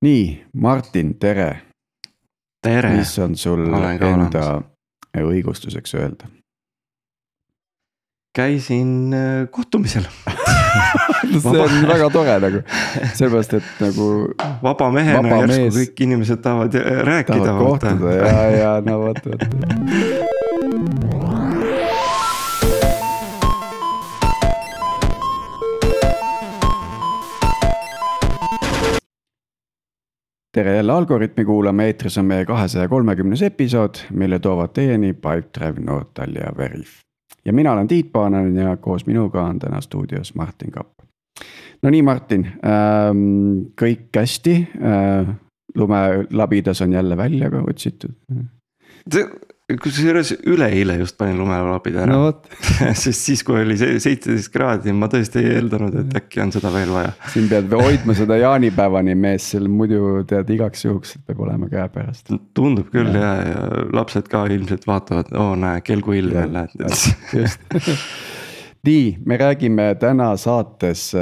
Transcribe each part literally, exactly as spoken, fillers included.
Nii, Martin, tere. Tere. Mis on sul enda õigustuseks öelda? Käisin kohtumisel. See on väga tore nagu. Sellepärast, et nagu vaba mehena vaba järsku mees, kõik inimesed tahavad rääkida. Tahavad kohtuda ja, ja no võt, võt. Tere jälle Algoritmi kuulama, eetris on meie kahesaja kolmekümnes episood, mille toovad teieni Pipedrive, Nortal ja Veriff. Ja mina olen Tiit Paananen ja koos minuga on täna stuudios Martin Kapp. No nii Martin, ähm, kõik hästi, äh, lumelabidas on jälle välja ka otsitud. Kusjuures üleeile just panin lumelapida ära, no, sest siis kui oli seitseteist kraadi, ma tõesti ei eeldanud, et äkki on seda veel vaja. Siin pead hoidma seda jaanipäevani mees, seal muidu tead igaks juhuks, et peab olema käe pärast. Tundub küll ja, ja lapsed ka ilmselt vaatavad, oo näe, kelgu ilme lähed. Just. Nii, me räägime täna saates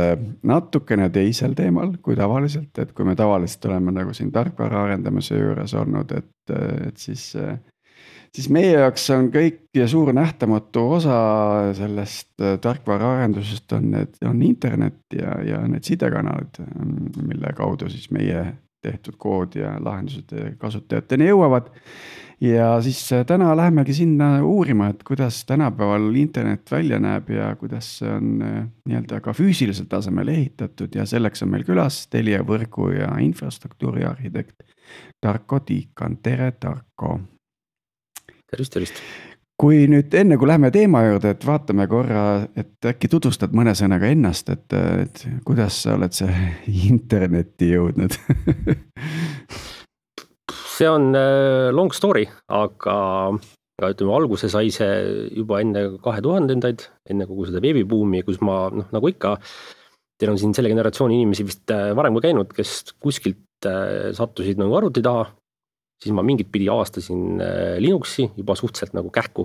natukene teisel teemal kui tavaliselt, et kui me tavaliselt oleme nagu siin tarkvara arendamise juures olnud, et, et siis... siis meie jaoks on kõik ja suur nähtamatu osa sellest tarkvaraarendusest on, need, on internet ja, ja need sidekanalid, mille kaudu siis meie tehtud kood ja lahendused kasutajateni jõuavad. Ja siis täna lähemegi sinna uurima, et kuidas tänapäeval internet välja näeb ja kuidas see on nii-öelda ka füüsilisel tasemel ehitatud ja selleks on meil külas Telia võrgu ja infrastruktuuri arhitekt Tarko Tiikan. Tere Tarko! Tervist, tervist. Kui nüüd enne kui lähme teema juurde, et vaatame korra, et äkki tutvustad mõne sõnaga ennast, et, et kuidas sa oled see internetti jõudnud? See on long story, aga ütleme, alguse sai see juba enne kahe tuhandendaid, enne kogu seda veebibuumi, kus ma, noh, nagu ikka, teil on siin selle generatsiooni inimesi vist varem kui käinud, kes kuskilt sattusid nagu arvuti taha, siis ma mingit pidi avastasin Linuxi juba suhteliselt nagu kähku.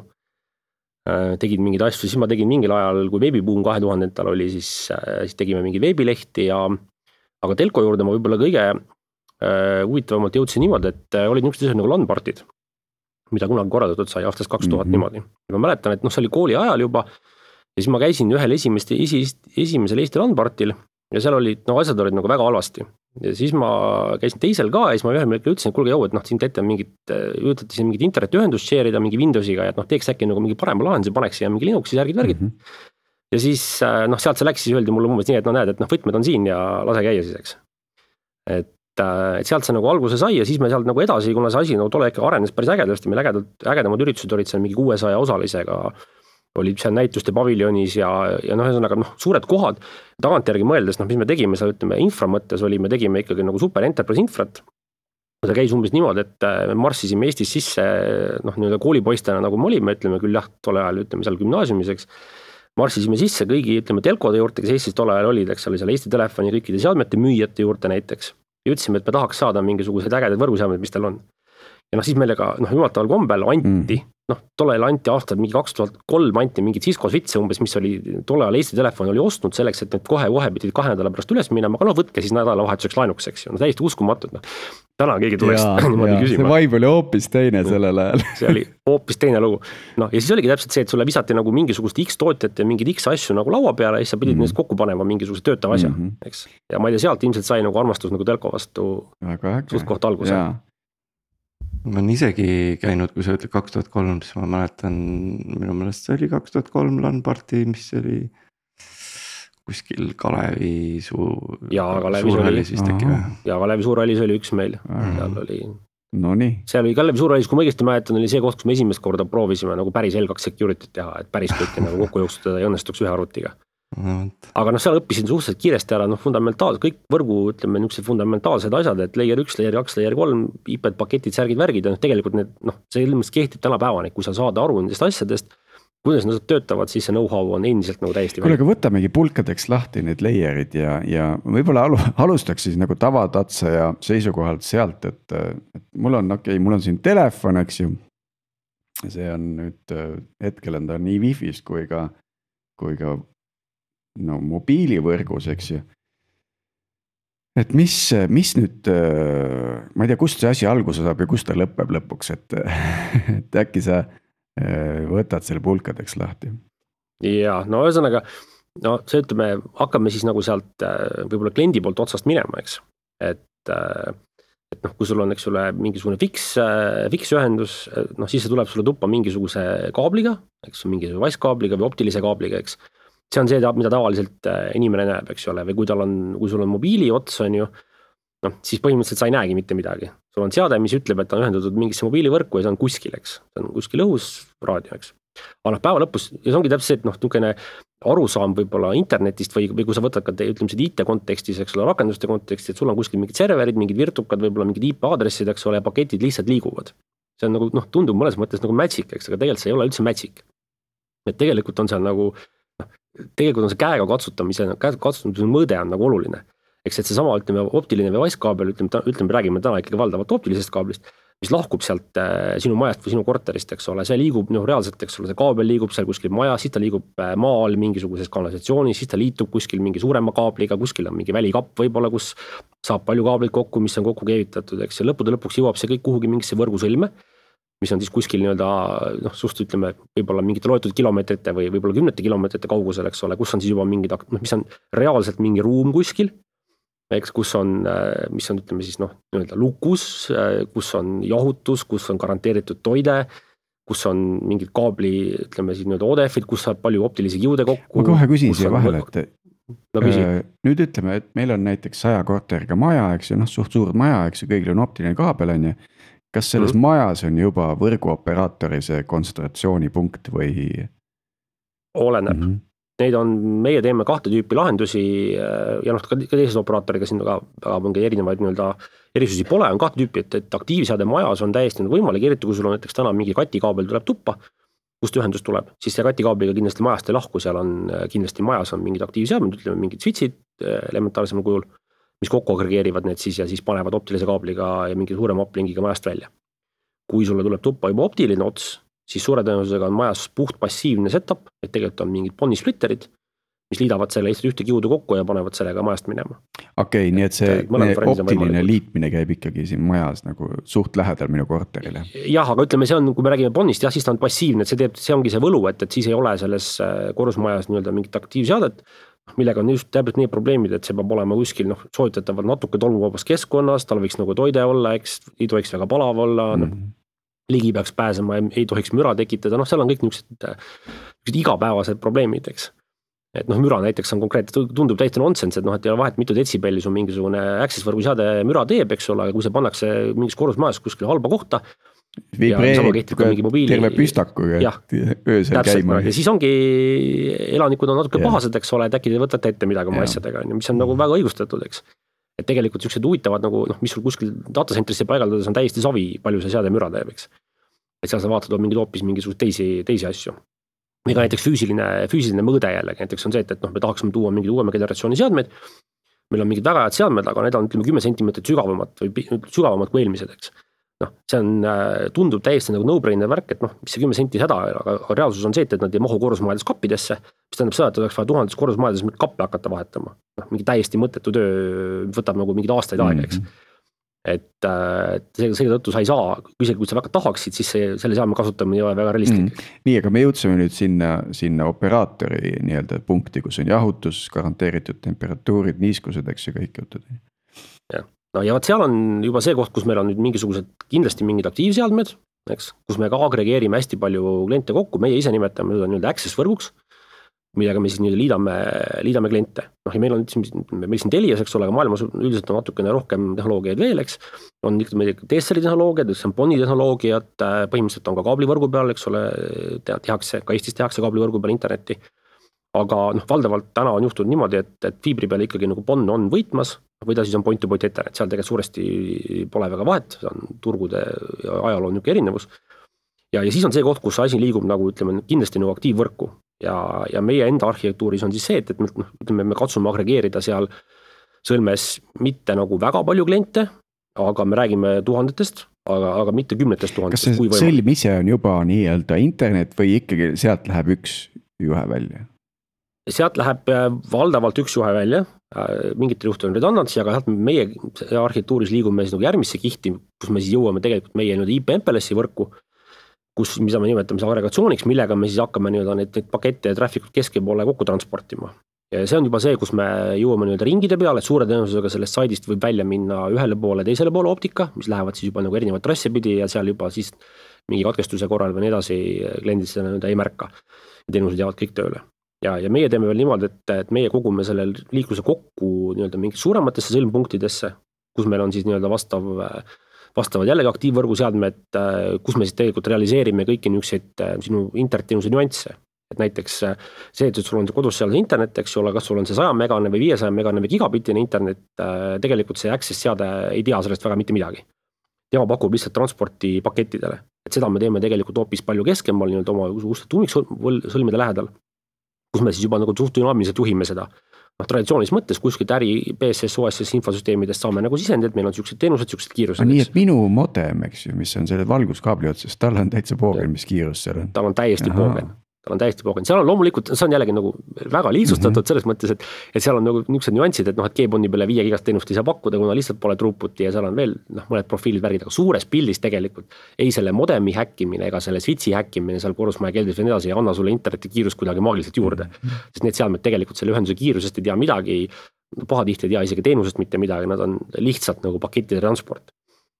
Tegin mingeid asju, siis ma tegin mingil ajal, kui veebibuum kahe tuhandendatel oli, siis, siis tegime mingi veebilehti ja aga telko juurde ma võib-olla kõige äh, huvitavamalt jõudsin niimoodi, et olid niisugused asjad nagu LAN-partid, mida kunagi korraldatud sai aastast kaks tuhat mm-hmm. niimoodi. Ja ma mäletan, et noh, see oli kooli ajal juba ja siis ma käisin ühel esimest, esi, esimesel Eesti LAN-partil ja seal olid, no asjad olid nagu väga halvasti. Ja siis ma käisin teisel ka ja siis ma ühel märkel ütlesin, et kuulge jau, et noh, siin teete mingit, üritati siin mingit internetiühendust share'ida mingi Windowsiga ja et noh, teeks äkki nagu mingi parema lahenduse, paneks siia mingi Linuxi särgid värgid. Mm-hmm. Ja siis noh, sealt see läks, siis öeldi mulle umbes nii, et no näed, et noh, võtmed on siin ja lase käia siis, eks. Et, et sealt see nagu alguse sai ja siis me sealt nagu edasi, kuna see asi nagu tole ikka arenes päris ägedasti, meil ägedad, ägedamad üritused olid seal mingi kuuesaja osalisega, olid seal näituste paviljonis ja, ja noh, ühesõnaga noh, suured kohad, tagantjärgi mõeldes, noh, mis me tegime seal, ütleme, infra mõttes oli, me tegime ikkagi nagu super enterprise infrat. See käis umbes niimoodi, et me marssisime Eestis sisse, noh, nii-öelda koolipoistena, nagu me olime, ütleme küll jah, tole ajal, ütleme seal gümnaasiumiseks, marssisime sisse kõigi, ütleme, telkode juurde, kes Eestis tole ajal olid, eks oli seal Eesti Telefoni kõikide seadmete müüjate juurde näiteks. Ja ütlesime, et me tahaks saada mingisuguseid ägedaid võrguseadmeid, mis teil on. Ja noh, siis meelega, noh, jumalataval kombel anti, mm. noh, tolle ajal anti aastal mingi kaks tuhat kolm anti mingid Cisco switche umbes, mis oli tolle ajal Eesti Telefon oli ostnud selleks, et need kohe-kohe pidid kahe nädala pärast üles minema, aga noh, võtke siis nädalavahetuseks laenukseks, no täiesti uskumatud, noh. Täna keegi tuleks ja, niimoodi küsima. See vibe oli hoopis teine sellel ajal. See oli hoopis teine lugu. No ja siis oligi täpselt see, et sulle visati nagu mingisugust X tootjat ja mingid X asju nagu laua peale ja siis sa pidid mm. neist kokku panema mingisuguse töötav asja, mm-hmm. eks. Ja ma ei tea, sealt ilmselt sai nagu armastus nagu telko vastu suht koht alguse. Ma olen isegi käinud, kui sa ütled kaks tuhat kolm, siis ma mäletan, minu meelest see oli kaks tuhat kolm LAN-parti, mis oli kuskil Kalevi suur, ja, Kalevi suurhallis vist äkki või? Ja Kalevi suurhallis oli üks meil. Seal oli, no nii. Seal oli Kalevi suurhallis, kui ma õigesti mäletan, oli see koht, kus me esimest korda proovisime nagu päris L kaks security teha, et päris kõike nagu kokku jooksutada ja õnnestuks ühe arvutiga. Aga noh, seal õppisin suhteliselt kiiresti ära, noh, fundamentaalsed, kõik võrgu, ütleme, niisugused fundamentaalsed asjad, et layer üks, layer kaks, layer kolm, I P-d, paketid, särgid, värgid, ja noh, tegelikult need, noh, see ilmselt kehtib täna päevani, kui sa saad aru nendest asjadest, kuidas nad töötavad, siis see know-how on endiselt nagu täiesti kuule, aga võtamegi pulkadeks lahti need layerid ja, ja võib-olla alu, alustaks siis nagu tavatatsa ja seisukohalt sealt, et, et mul on, okei okay,, mul on siin telefon, eks ju, see on nüüd, hetkel on ta nii Wi-Fi'st kui ka, kui ka no mobiilivõrgus, eks ju. et mis, mis nüüd, ma ei tea, kust see asi alguse saab ja kust ta lõpeb lõpuks, et, et äkki sa võtad selle pulkadeks lahti. Ja no ühesõnaga, no see ütleme, hakkame siis nagu sealt võib-olla kliendi poolt otsast minema, eks. Et, et noh, kui sul on, eks ole, mingisugune fix, fix ühendus, noh siis see tuleb sulle tuppa mingisuguse kaabliga, eks mingisuguse vaskaabliga või optilise kaabliga, eks. See on see, mida tavaliselt inimene näeb, eks ole, või kui tal on, kui sul on mobiili ots, on ju, noh, siis põhimõtteliselt sa ei näegi mitte midagi. Sul on seade, mis ütleb, et ta on ühendatud mingisse mobiilivõrku ja see on kuskil, eks. See on kuskil õhus raadio, eks. Aga noh, päeva lõpus, ja see ongi täpselt see, et noh, tukene arusaam võib-olla internetist või, või kui sa võtad ka te, ütleme seda I T kontekstis, eks ole, rakenduste kontekstis, et sul on kuskil mingid serverid, mingid virtukad, võib-olla mingid I P aadressid, eks ole, paketid lihtsalt liiguvad. See on nagu, noh, tundub mõnes mõttes nagu magic, eks, aga tegelikult see ei ole üldse magic. Et tegelikult on seal nagu, tegelikult on see käega katsutamise, käega katsutamise mõõde on nagu oluline. Eks et see sama, ütleme, optiline või vaskkaabel, ütleme, ütleme, räägime täna ikkagi valdavalt optilisest kaablist, mis lahkub sealt äh, sinu majast või sinu korterist, eks ole, see liigub, noh, reaalselt, eks ole, see kaabel liigub seal kuskil maja, siis ta liigub maal mingisuguses kanalisatsioonis, siis ta liitub kuskil mingi suurema kaabliga, kuskil on mingi välikapp võib-olla, kus saab palju kaableid kokku, mis on kokku keevitatud, eks, ja lõppude lõpuks jõuab see kõik kuhugi mingisse võrgusõlme, mis on siis kuskil nii-öelda, noh, suht ütleme, võib-olla mingite loetud kilomeetrite või võib-olla kümnete kilomeetrite kaugusel, eks ole, kus on siis juba mingid, mis on reaalselt mingi ruum kuskil, eks, kus on, mis on, ütleme siis, noh, nii-öelda lukus, kus on jahutus, kus on garanteeritud toide, kus on mingid kaabli, ütleme siis nii-öelda O D F-id, kus saab palju optilisi kiude kokku. Ma kohe küsin siia vahele, et no, äh, nüüd ütleme, et meil on näiteks saja korteriga maja, eks ju, noh, suht suur maja, eks ju, kõigil on optiline kaabel, on ju. Kas selles mm. majas on juba võrguoperaatori see kontsentratsioonipunkt või? Oleneb. Mm-hmm. Neid on, meie teeme kahte tüüpi lahendusi ja noh, ka teised operaatoriga siin väga, väga mingi erinevaid nii-öelda erisusi pole, on kahte tüüpi, et, et aktiivseade majas on täiesti võimalik, eriti kui sul on näiteks täna mingi katikaabel tuleb tuppa, kust ühendus tuleb, siis see katikaabliga kindlasti majast ei lahku, seal on kindlasti majas on mingid aktiivseadmed, ütleme mingid switchid elementaarsemal kujul, mis kokku agregeerivad need siis ja siis panevad optilise kaabliga ja mingi suurema uplingiga majast välja. Kui sulle tuleb tuppa juba optiline ots, siis suure tõenäosusega on majas puht passiivne setup, et tegelikult on mingid Bonni splitterid, mis liidavad selle lihtsalt ühte kiudu kokku ja panevad sellega majast minema. Okei, nii et see optiline liitmine käib ikkagi siin majas nagu suht lähedal minu korterile. Jah, aga ütleme, see on, kui me räägime Bonnist, jah, siis ta on passiivne, et see teeb, see ongi see võlu, et, et siis ei ole selles korrusmajas nii-öelda mingit aktiivseadet, millega on just täpselt nii probleemid, et see peab olema kuskil, noh, soovitatavalt natuke tolmuvabas keskkonnas, tal võiks nagu toide olla, eks, ei tohiks väga palav olla, mm. noh, ligi peaks pääsema, ei tohiks müra tekitada, noh, seal on kõik niisugused igapäevased probleemid, eks. Et noh, müra näiteks on konkreetselt, tundub täiesti nonsense, et noh, et ei ole vahet, mitu detsibelli su mingisugune access võrguseade müra teeb, eks ole, aga kui see pannakse mingis korrusmajas kuskil halba kohta, vibreerib terve püstakuga, et öösel käima. Ja siis ongi, elanikud on natuke yeah. pahased, eks ole, et äkki te võtate ette midagi oma yeah. asjadega, mis on nagu väga õigustatud, eks. Et tegelikult sellised huvitavad nagu, noh, mis sul kuskil datacentrisse paigaldades on täiesti savi, palju see seade müra teeb, eks. Et seal sa vaatad mingid hoopis mingisugust teisi, teisi asju. Ega näiteks füüsiline, füüsiline mõõde jällegi, näiteks on see, et, et noh, me tahaksime tuua mingid uuema generatsiooni seadmeid, meil on mingid väga head seadmed, aga need on, ütleme, kümme sentimeetrit sügavamad või sügavamad kui eelmised, eks. Noh, see on, tundub täiesti nagu no-brainer värk, et noh, mis see kümme senti häda, aga, aga reaalsus on see, et, et nad ei mahu korrusmajades kappidesse, mis tähendab seda, et oleks vaja tuhandes korrusmajades kappe hakata vahetama. Noh, mingi täiesti mõttetu töö võtab nagu mingid aastaid aega, eks. Et, et selle tõttu sa ei saa, isegi kui sa väga tahaksid, siis see, selle seadme kasutamine ei ole väga realistlik. Mm. Nii, aga me jõudsime nüüd sinna, sinna operaatori nii-öelda punkti, kus on jahutus, garanteeritud temperatuurid, niiskused, eks ju, kõik jutud. Ja. No ja vaat seal on juba see koht, kus meil on nüüd mingisugused kindlasti mingid aktiivseadmed, eks, kus me ka agregeerime hästi palju kliente kokku, meie ise nimetame seda nii-öelda access võrguks, millega me siis nii liidame, liidame kliente. Noh, ja meil on, meil siin Telias, eks ole, aga maailmas üldiselt on natukene rohkem tehnoloogiaid veel, eks. On T-Cell-i tehnoloogiad, see on Bonni tehnoloogiad, põhimõtteliselt on ka kaablivõrgu peal, eks ole, tehakse, ka Eestis tehakse kaablivõrgu peal internetti. Aga noh, valdavalt täna on juhtunud niimoodi, et, et fiibri peal ikkagi nagu Bonn on võitmas, või ta siis on point-to-point internet, seal tegelikult suuresti pole väga vahet, see on turgude ja ajaloo on niisugune erinevus. Ja, ja siis on see koht, kus asi liigub nagu, ütleme, kindlasti nagu aktiivvõrku. Ja, ja meie enda arhitektuuris on siis see, et, et me, ütleme, me katsume agregeerida seal sõlmes mitte nagu väga palju kliente, aga me räägime tuhandetest, aga, aga mitte kümnetest tuhandetest. Kas see sõlm ise on juba nii-öelda internet või ikkagi sealt läheb üks juhe välja? Sealt läheb valdavalt üks juhe välja, mingitel juhtudel on redundancy, aga meie arhitektuuris liigume siis nagu järgmisse kihti, kus me siis jõuame tegelikult meie I P M P L S-i võrku, kus, mida me nimetame siis agregatsiooniks, millega me siis hakkame nii-öelda neid, neid pakette ja traffic'ut keskepoole kokku transportima. Ja see on juba see, kus me jõuame nii-öelda ringide peale, et suure tõenäosusega sellest saidist võib välja minna ühele poole, teisele poole optika, mis lähevad siis juba nagu erinevad trasse pidi ja seal juba siis mingi katkestuse korral või nii edasi kliendid seda nii-öelda ei märka. Teenused jäävad kõik tööle. Ja, ja meie teeme veel niimoodi, et, et meie kogume selle liikluse kokku nii-öelda mingit suurematesse sõlmpunktidesse, kus meil on siis nii-öelda vastav, vastavad jällegi aktiivvõrguseadmed, kus me siis tegelikult realiseerime kõiki niisuguseid sinu internetiteenuse nüansse. Et näiteks see, et sul on kodus seal internet, eks ole, kas sul on see sada megane või viiesaja megane või gigabitine internet, tegelikult see access seade ei tea sellest väga mitte midagi. Tema pakub lihtsalt transporti pakettidele. Et seda me teeme tegelikult hoopis palju keskemal nii-öelda oma uste tuumiksõlmide lähedal, kus me siis juba nagu suht dünaamiliselt juhime seda. No, traditsioonilis mõttes kuskilt äri B S S, O S S infosüsteemidest saame nagu sisendid, meil on siuksed teenused, siuksed kiirused. Nii, et minu modem, eks ju, mis on selle valguskaabli otsas, tal on täitsa poogen, mis kiirus seal on. Tal on täiesti poogen. Tal on täiesti poogen. Seal on loomulikult, see on jällegi nagu väga lihtsustatud mm-hmm. selles mõttes, et, et seal on nagu niisugused nüansid, et noh, et G-Bondi peale viie gigast teenust ei saa pakkuda, kuna lihtsalt pole throughputi ja seal on veel noh, mõned profiilid värgid, aga suures pildis tegelikult ei selle modemi häkkimine ega selle switchi häkkimine seal korrusmaja keldris või nii edasi ei anna sulle interneti kiirust kuidagi maagiliselt juurde. Mm-hmm. Sest need seadmed tegelikult selle ühenduse kiirusest ei tea midagi, pahatihti ei tea isegi teenusest mitte midagi, nad on lihtsalt nagu pakettide transport.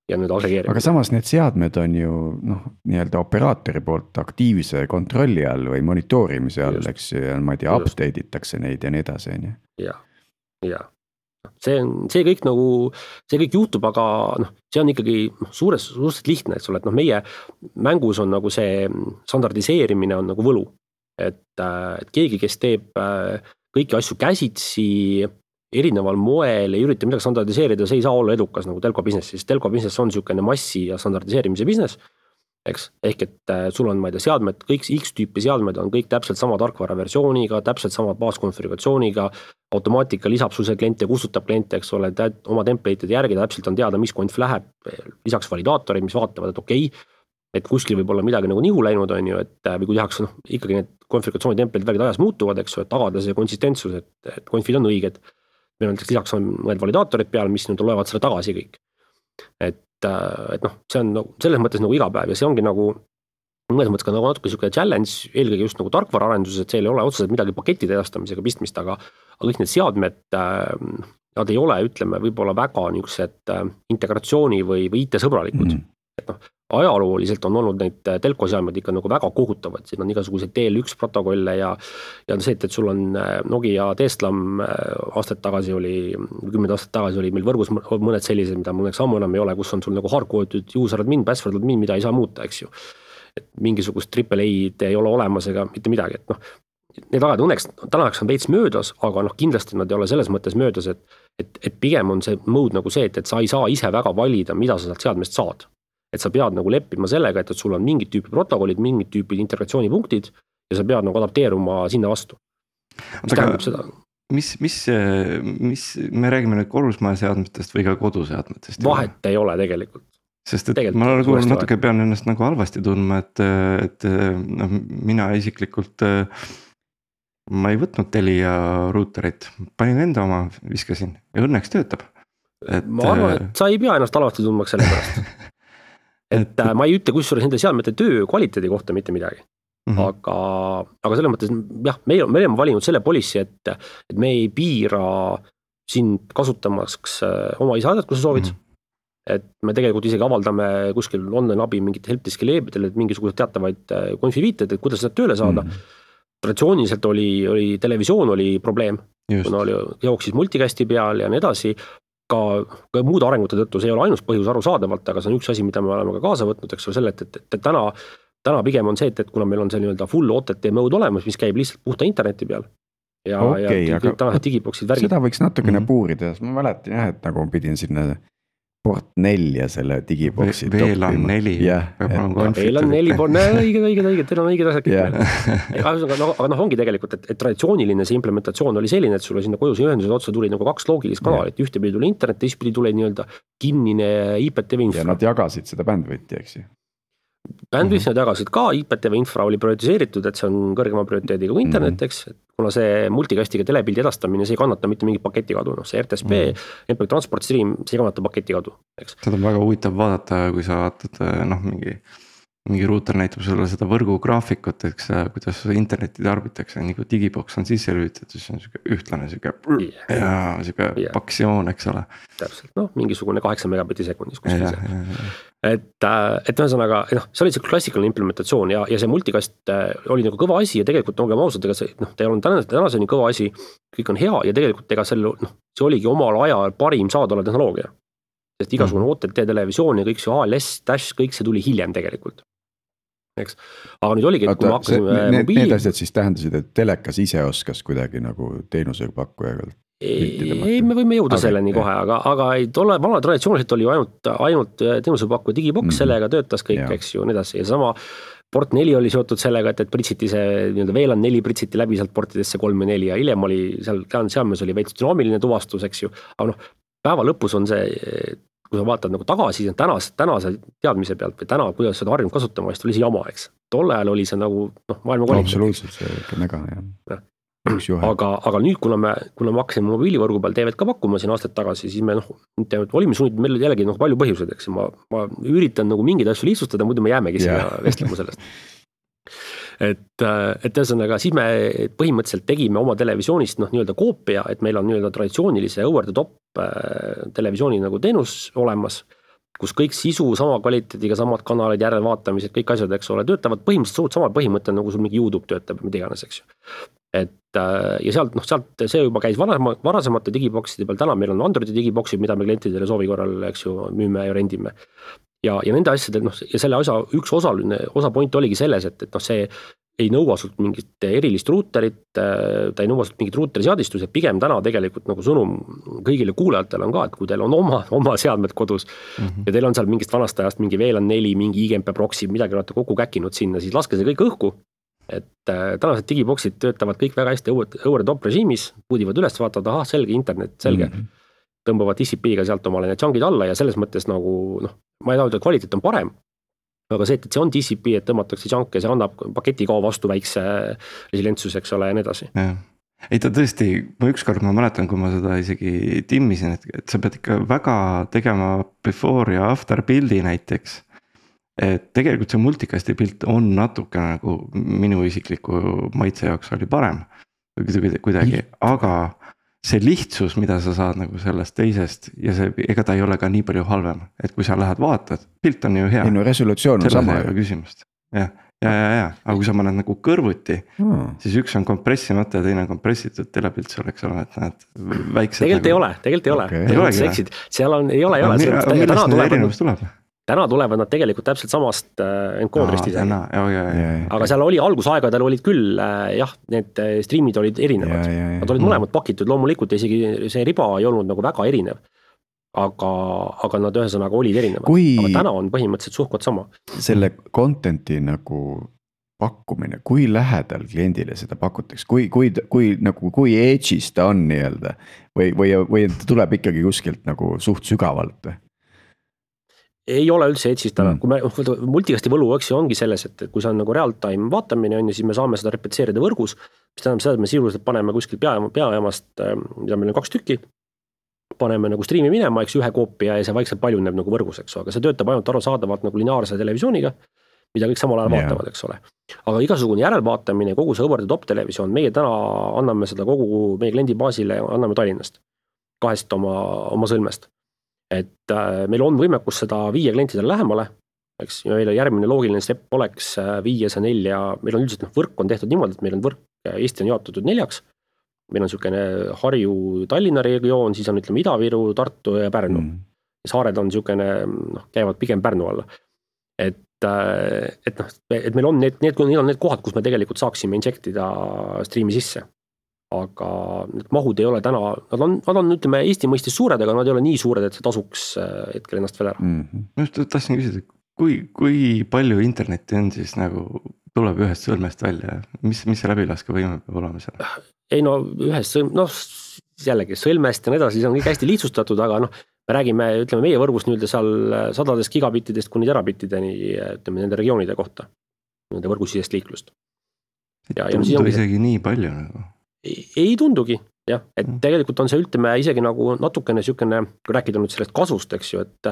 Ja nüüd agregeerimine. Aga samas need seadmed on ju noh, nii-öelda operaatori poolt aktiivse kontrolli all või monitoorimise all, just, eks ja ma ei tea, update itakse neid ja nii edasi. Ja, ja. See, on, see kõik nagu, see kõik juhtub, aga noh, see on ikkagi suures, suhteliselt lihtne, et, et noh, meie mängus on nagu see standardiseerimine on nagu võlu. Et, et keegi, kes teeb kõiki asju käsitsi, erineval moel ei ürita midagi standardiseerida, see ei saa olla edukas nagu telco business, sest telco business on niisugune massi ja standardiseerimise business, eks, ehk et sul on, ma ei tea, seadmed, kõik X-tüüpi seadmed on kõik täpselt sama tarkvara versiooniga, täpselt sama baaskonfiguratsiooniga, automaatika lisab sul see kliente, kustutab kliente, eks ole, oma template'ide järgi täpselt on teada, mis konf läheb, lisaks validaatorid, mis vaatavad, et okei, okay, et kuskil võib olla midagi nagu nihu läinud, on ju, et või kui tehakse, noh, ikkagi need konfiguratsiooni template'id värgid ajas muutuvad, eks ju, et tagada see konsistentsus, et, et konfid on õiged. Meil on lisaks on mõned validaatorid peal, mis nüüd loevad selle tagasi kõik. Et, et noh, see on nagu, selles mõttes nagu iga päev ja see ongi nagu, mõnes mõttes ka nagu natuke niisugune challenge, eelkõige just nagu tarkvaraarenduses, et seal ei ole otseselt midagi pakettide edastamisega pistmist, aga, aga kõik need seadmed, nad ei ole, ütleme, võib-olla väga niisugused integratsiooni või, või I T-sõbralikud. Mm. Et noh, ajalooliselt on olnud neid telkoseadmed ikka nagu väga kohutavad, siin on igasuguseid D L üks protokolle ja, ja see, et, et sul on Nokia T-Slam aastat tagasi oli, kümned aastat tagasi oli meil võrgus mõned sellised, mida mõneks ammu enam ei ole, kus on sul nagu hardcoded user admin, password admin, mida ei saa muuta, eks ju. Et mingisugust triple A-d ei ole olemas ega mitte midagi, et noh, need ajad õnneks, tänaks on veits möödas, aga noh, kindlasti nad ei ole selles mõttes möödas, et, et, et pigem on see mode nagu see, et, et sa ei saa ise väga valida, mida sa sealt seadmest saad. Et sa pead nagu leppima sellega, et, et sul on mingid tüüpi protokollid, mingid tüüpi integratsioonipunktid ja sa pead nagu adapteeruma sinna vastu. Mis tähendab seda? Mis, mis, mis, me räägime nüüd korrusmaja seadmetest või ka koduseadmetest? Vahet ei ole tegelikult. Sest et tegelikult ma nagu natuke pean ennast nagu halvasti tundma, et, et no, mina isiklikult ma ei võtnud Telia ruuterit, panin enda oma, viskasin ja õnneks töötab. Et, ma arvan, et sa ei pea ennast halvasti tundmaks selle pärast. Et ma ei ütle kusjuures nende seadmete töö kvaliteedi kohta mitte midagi. Mm-hmm. Aga, aga selles mõttes, jah, me, me oleme valinud selle policy, et, et me ei piira sind kasutamaks oma isaadet, kui sa soovid. Mm-hmm. Et me tegelikult isegi avaldame kuskil online abi mingit helpdeski leebidel, et mingisugused teatavaid konfiviited, et kuidas seda tööle saada. Mm-hmm. Traditsiooniliselt oli, oli, televisioon oli probleem, kuna oli jooksis multicasti peal ja nii edasi. Ka, ka muude arengute tõttu, see ei ole ainus põhjus arusaadavalt, aga see on üks asi, mida me oleme ka kaasa võtnud, eks ole selle, et, et, et täna, täna pigem on see, et, et kuna meil on see nii-öelda full O T T mode olemas, mis käib lihtsalt puhta interneti peal ja, okay, ja kõik tänased digiboksid värgid. Seda võiks natukene mm-hmm. puurida, ma mäletan jah, et nagu pidin sinna port nelja selle digiboksi V L A N neli V L A N neli, õiged, õiged, õiged, teil on õiged asjad kõik. Aga noh, ongi tegelikult, et, et traditsiooniline see implementatsioon oli selline, et sulle sinna koduse ühendused otsa tuli nagu kaks loogilist kanalit, ühte pidi tuli internet, teist pidi tuli nii-öelda kinnine I P T V infra. Ja nad jagasid seda bandwidthi, eks ju. Bandwidth nad jagasid ka, I P T V infra oli prioritiseeritud, et see on kõrgema prioriteediga kui internet, eks, et kuna see multikastiga telepildi edastamine, see ei kannata mitte mingit paketikadu, noh see R T S P mm., M P Transport Stream, see ei kannata paketikadu, eks. Seda on väga huvitav vaadata, kui sa vaatad noh mingi mingi ruuter näitab sulle seda võrgu graafikut, eks kuidas interneti tarbitakse, nii kui digibox on sisse lülitatud, siis on siuke ühtlane siuke yeah. ja siuke yeah. paksjoon, eks ole. Täpselt, noh mingisugune kaheksa megabitti sekundis kuskil see. Ja, ja, ja. Et, et ühesõnaga, noh, see oli see klassikaline implementatsioon ja, ja see multikast oli nagu kõva asi ja tegelikult olgem ausad, ega see, noh, ta ei olnud tänase, tänaseni kõva asi, kõik on hea ja tegelikult ega selle, noh, see oligi omal ajal parim saadaolev tehnoloogia. Sest igasugune O T T televisioon ja kõik see A L S, Dash, kõik see tuli hiljem tegelikult. Eks. Aga nüüd oligi, et kui me hakkasime need, mobiili... Need asjad siis tähendasid, et telekas ise oskas kuidagi nagu teenusepakkujaga ei, me võime jõuda aga, selleni ei. kohe, aga, aga ei tole, vana traditsiooniliselt oli ju ainult, ainult teenusepakkuja digibox, mm-hmm. sellega töötas kõik, ja. eks ju, nii edasi ja sama port neli oli seotud sellega, et, et pritsiti see nii-öelda V LAN neli pritsiti läbi sealt portidesse kolm ja neli ja hiljem oli seal, seadmes oli veits dünaamiline tuvastus, eks ju, aga noh, päeva lõpus on see kui sa vaatad nagu tagasi tänas, tänase teadmise pealt või täna, kuidas seda harjunud kasutama, siis oli see jama, eks. Tolle ajal oli see nagu noh, maailma kvaliteet. Absoluutselt, see ikka mega, jah. Aga, aga nüüd, kuna me, kuna me hakkasime mobiilivõrgu peal T V-d ka pakkuma siin aastaid tagasi, siis me noh, olime sunnid, meil jällegi noh, palju põhjused, eks. Ma, ma üritan nagu mingeid asju lihtsustada, muidu me jäämegi siia vestlema sellest. Et, et ühesõnaga, siis me põhimõtteliselt tegime oma televisioonist noh, nii-öelda koopia, et meil on nii-öelda traditsioonilise over the top televisiooni nagu teenus olemas, kus kõik sisu sama kvaliteediga, samad kanalid, järelvaatamised, kõik asjad, eks ole, töötavad põhimõtteliselt suurt sama põhimõte, nagu sul mingi YouTube töötab, mida iganes, eks ju. Et ja sealt, noh, sealt see juba käis varasema, varasemate digibokside peal, täna meil on Androidi digiboksid, mida me klientidele soovi korral, eks ju, müüme ja rendime. Ja, ja nende asjade, noh, ja selle osa, üks osaline, osa point oligi selles, et, et noh, see ei nõua sult mingit erilist ruuterit, ta ei nõua sult mingit ruuteri seadistust, pigem täna tegelikult nagu sõnum kõigile kuulajatele on ka, et kui teil on oma, oma seadmed kodus mm-hmm. ja teil on seal mingist vanast ajast mingi V LAN neli, mingi I G M P proxy, midagi olete kokku käkinud sinna, siis laske see kõik õhku, et tänased digiboksid töötavad kõik väga hästi over the top režiimis, puudivad üles, vaatavad, ahah, selge internet, selge, mm-hmm. tõmbavad T C P-ga sealt omale need chunkid alla ja selles mõttes nagu, noh, ma ei taha, et kvaliteet on parem, aga see, et see on T C P, et tõmmatakse chunk ja see annab paketi kao vastu väikse resilientsus, eks ole, ja nii edasi. Ja. Ei ta tõesti, ma ükskord ma mäletan, kui ma seda isegi timmisin, et, et sa pead ikka väga tegema before ja after build'i näiteks. Et tegelikult see multikasti pilt on natuke nagu minu isikliku maitse jaoks oli parem kuidagi, aga see lihtsus, mida sa saad nagu sellest teisest ja see, ega ta ei ole ka nii palju halvem, et kui sa lähed vaatad, pilt on ju hea. ei no resolutsioon on sama. Küsimust. Ja, ja, ja, ja, aga kui sa paned nagu kõrvuti, hmm. siis üks on kompressimata ja teine on kompressitud telepilt sul, eks ole, et näed väiksed. Tegelikult nagu... ei ole, tegelikult ei ole. Okay. Ei olegi või? Seal on, ei ole, ei ole. Aga millest need erinevus tuleb? Täna tulevad nad tegelikult täpselt samast encoderist ise. Aga okay. seal oli algusaegadel olid küll, jah, need streamid olid erinevad. Ja, ja, ja. Nad olid mõlemad pakitud, loomulikult isegi see riba ei olnud nagu väga erinev. Aga, aga nad ühesõnaga olid erinevad. Kui aga täna on põhimõtteliselt suhkot sama. Selle contenti nagu pakkumine, kui lähedal kliendile seda pakutakse, kui, kui, kui, nagu, kui edge'is ta on nii-öelda või, või, või tuleb ikkagi kuskilt nagu suht sügavalt või? Ei ole üldse edge'is täna, mm. kui me multikasti võlu õksi ongi selles, et kui see on nagu real-time vaatamine on ja siis me saame seda repetseerida võrgus, mis tähendab seda, et me sisuliselt paneme kuskil pea, peajaamast, mida meil on kaks tükki, paneme nagu streami minema, eks ühe koopia ja see vaikselt paljuneb nagu võrgus, eks, aga see töötab ainult arusaadavalt nagu lineaarse televisiooniga, mida kõik samal ajal yeah. vaatavad, eks ole. Aga igasugune järelvaatamine, kogu see over the top televisioon, meie täna anname seda kogu meie kliendi baasile, anname Tallinnast, kahest oma, oma sõlmest. Et äh, meil on võimekus seda viie klientidele lähemale, eks, ja meil järgmine loogiline step oleks viie see nelja, meil on üldiselt noh, võrk on tehtud niimoodi, et meil on võrk, Eesti on jaotatud neljaks, meil on niisugune Harju, Tallinna regioon, siis on ütleme Ida-Viru, Tartu ja Pärnu. Mm. Saared on niisugune, noh, käivad pigem Pärnu alla. Et, äh, et, noh, et meil on need, need, need on need kohad, kus me tegelikult saaksime injektida streami sisse. Aga need mahud ei ole täna, nad on, nad on ütleme Eesti mõistes suured, aga nad ei ole nii suured, et see tasuks hetkel ennast veel ära. Mm-hmm. Just tahtsin küsida, kui, kui palju internetti on siis nagu tuleb ühest sõlmest välja, mis, mis see läbilaske võime peab olema seal? Ei no ühest sõlmest, noh jällegi sõlmest ja nii edasi, see on kõik hästi lihtsustatud, aga noh, me räägime, ütleme meie võrgust nüüd seal sadadest gigabittidest kuni terabittideni, ütleme nende regioonide kohta, nende võrgusisest liiklust. Ja, ei tundu isegi nii palju nagu. Ei, ei tundugi, jah, et tegelikult on see ütleme isegi nagu natukene niisugune, kui rääkida nüüd sellest kasvust, eks ju, et,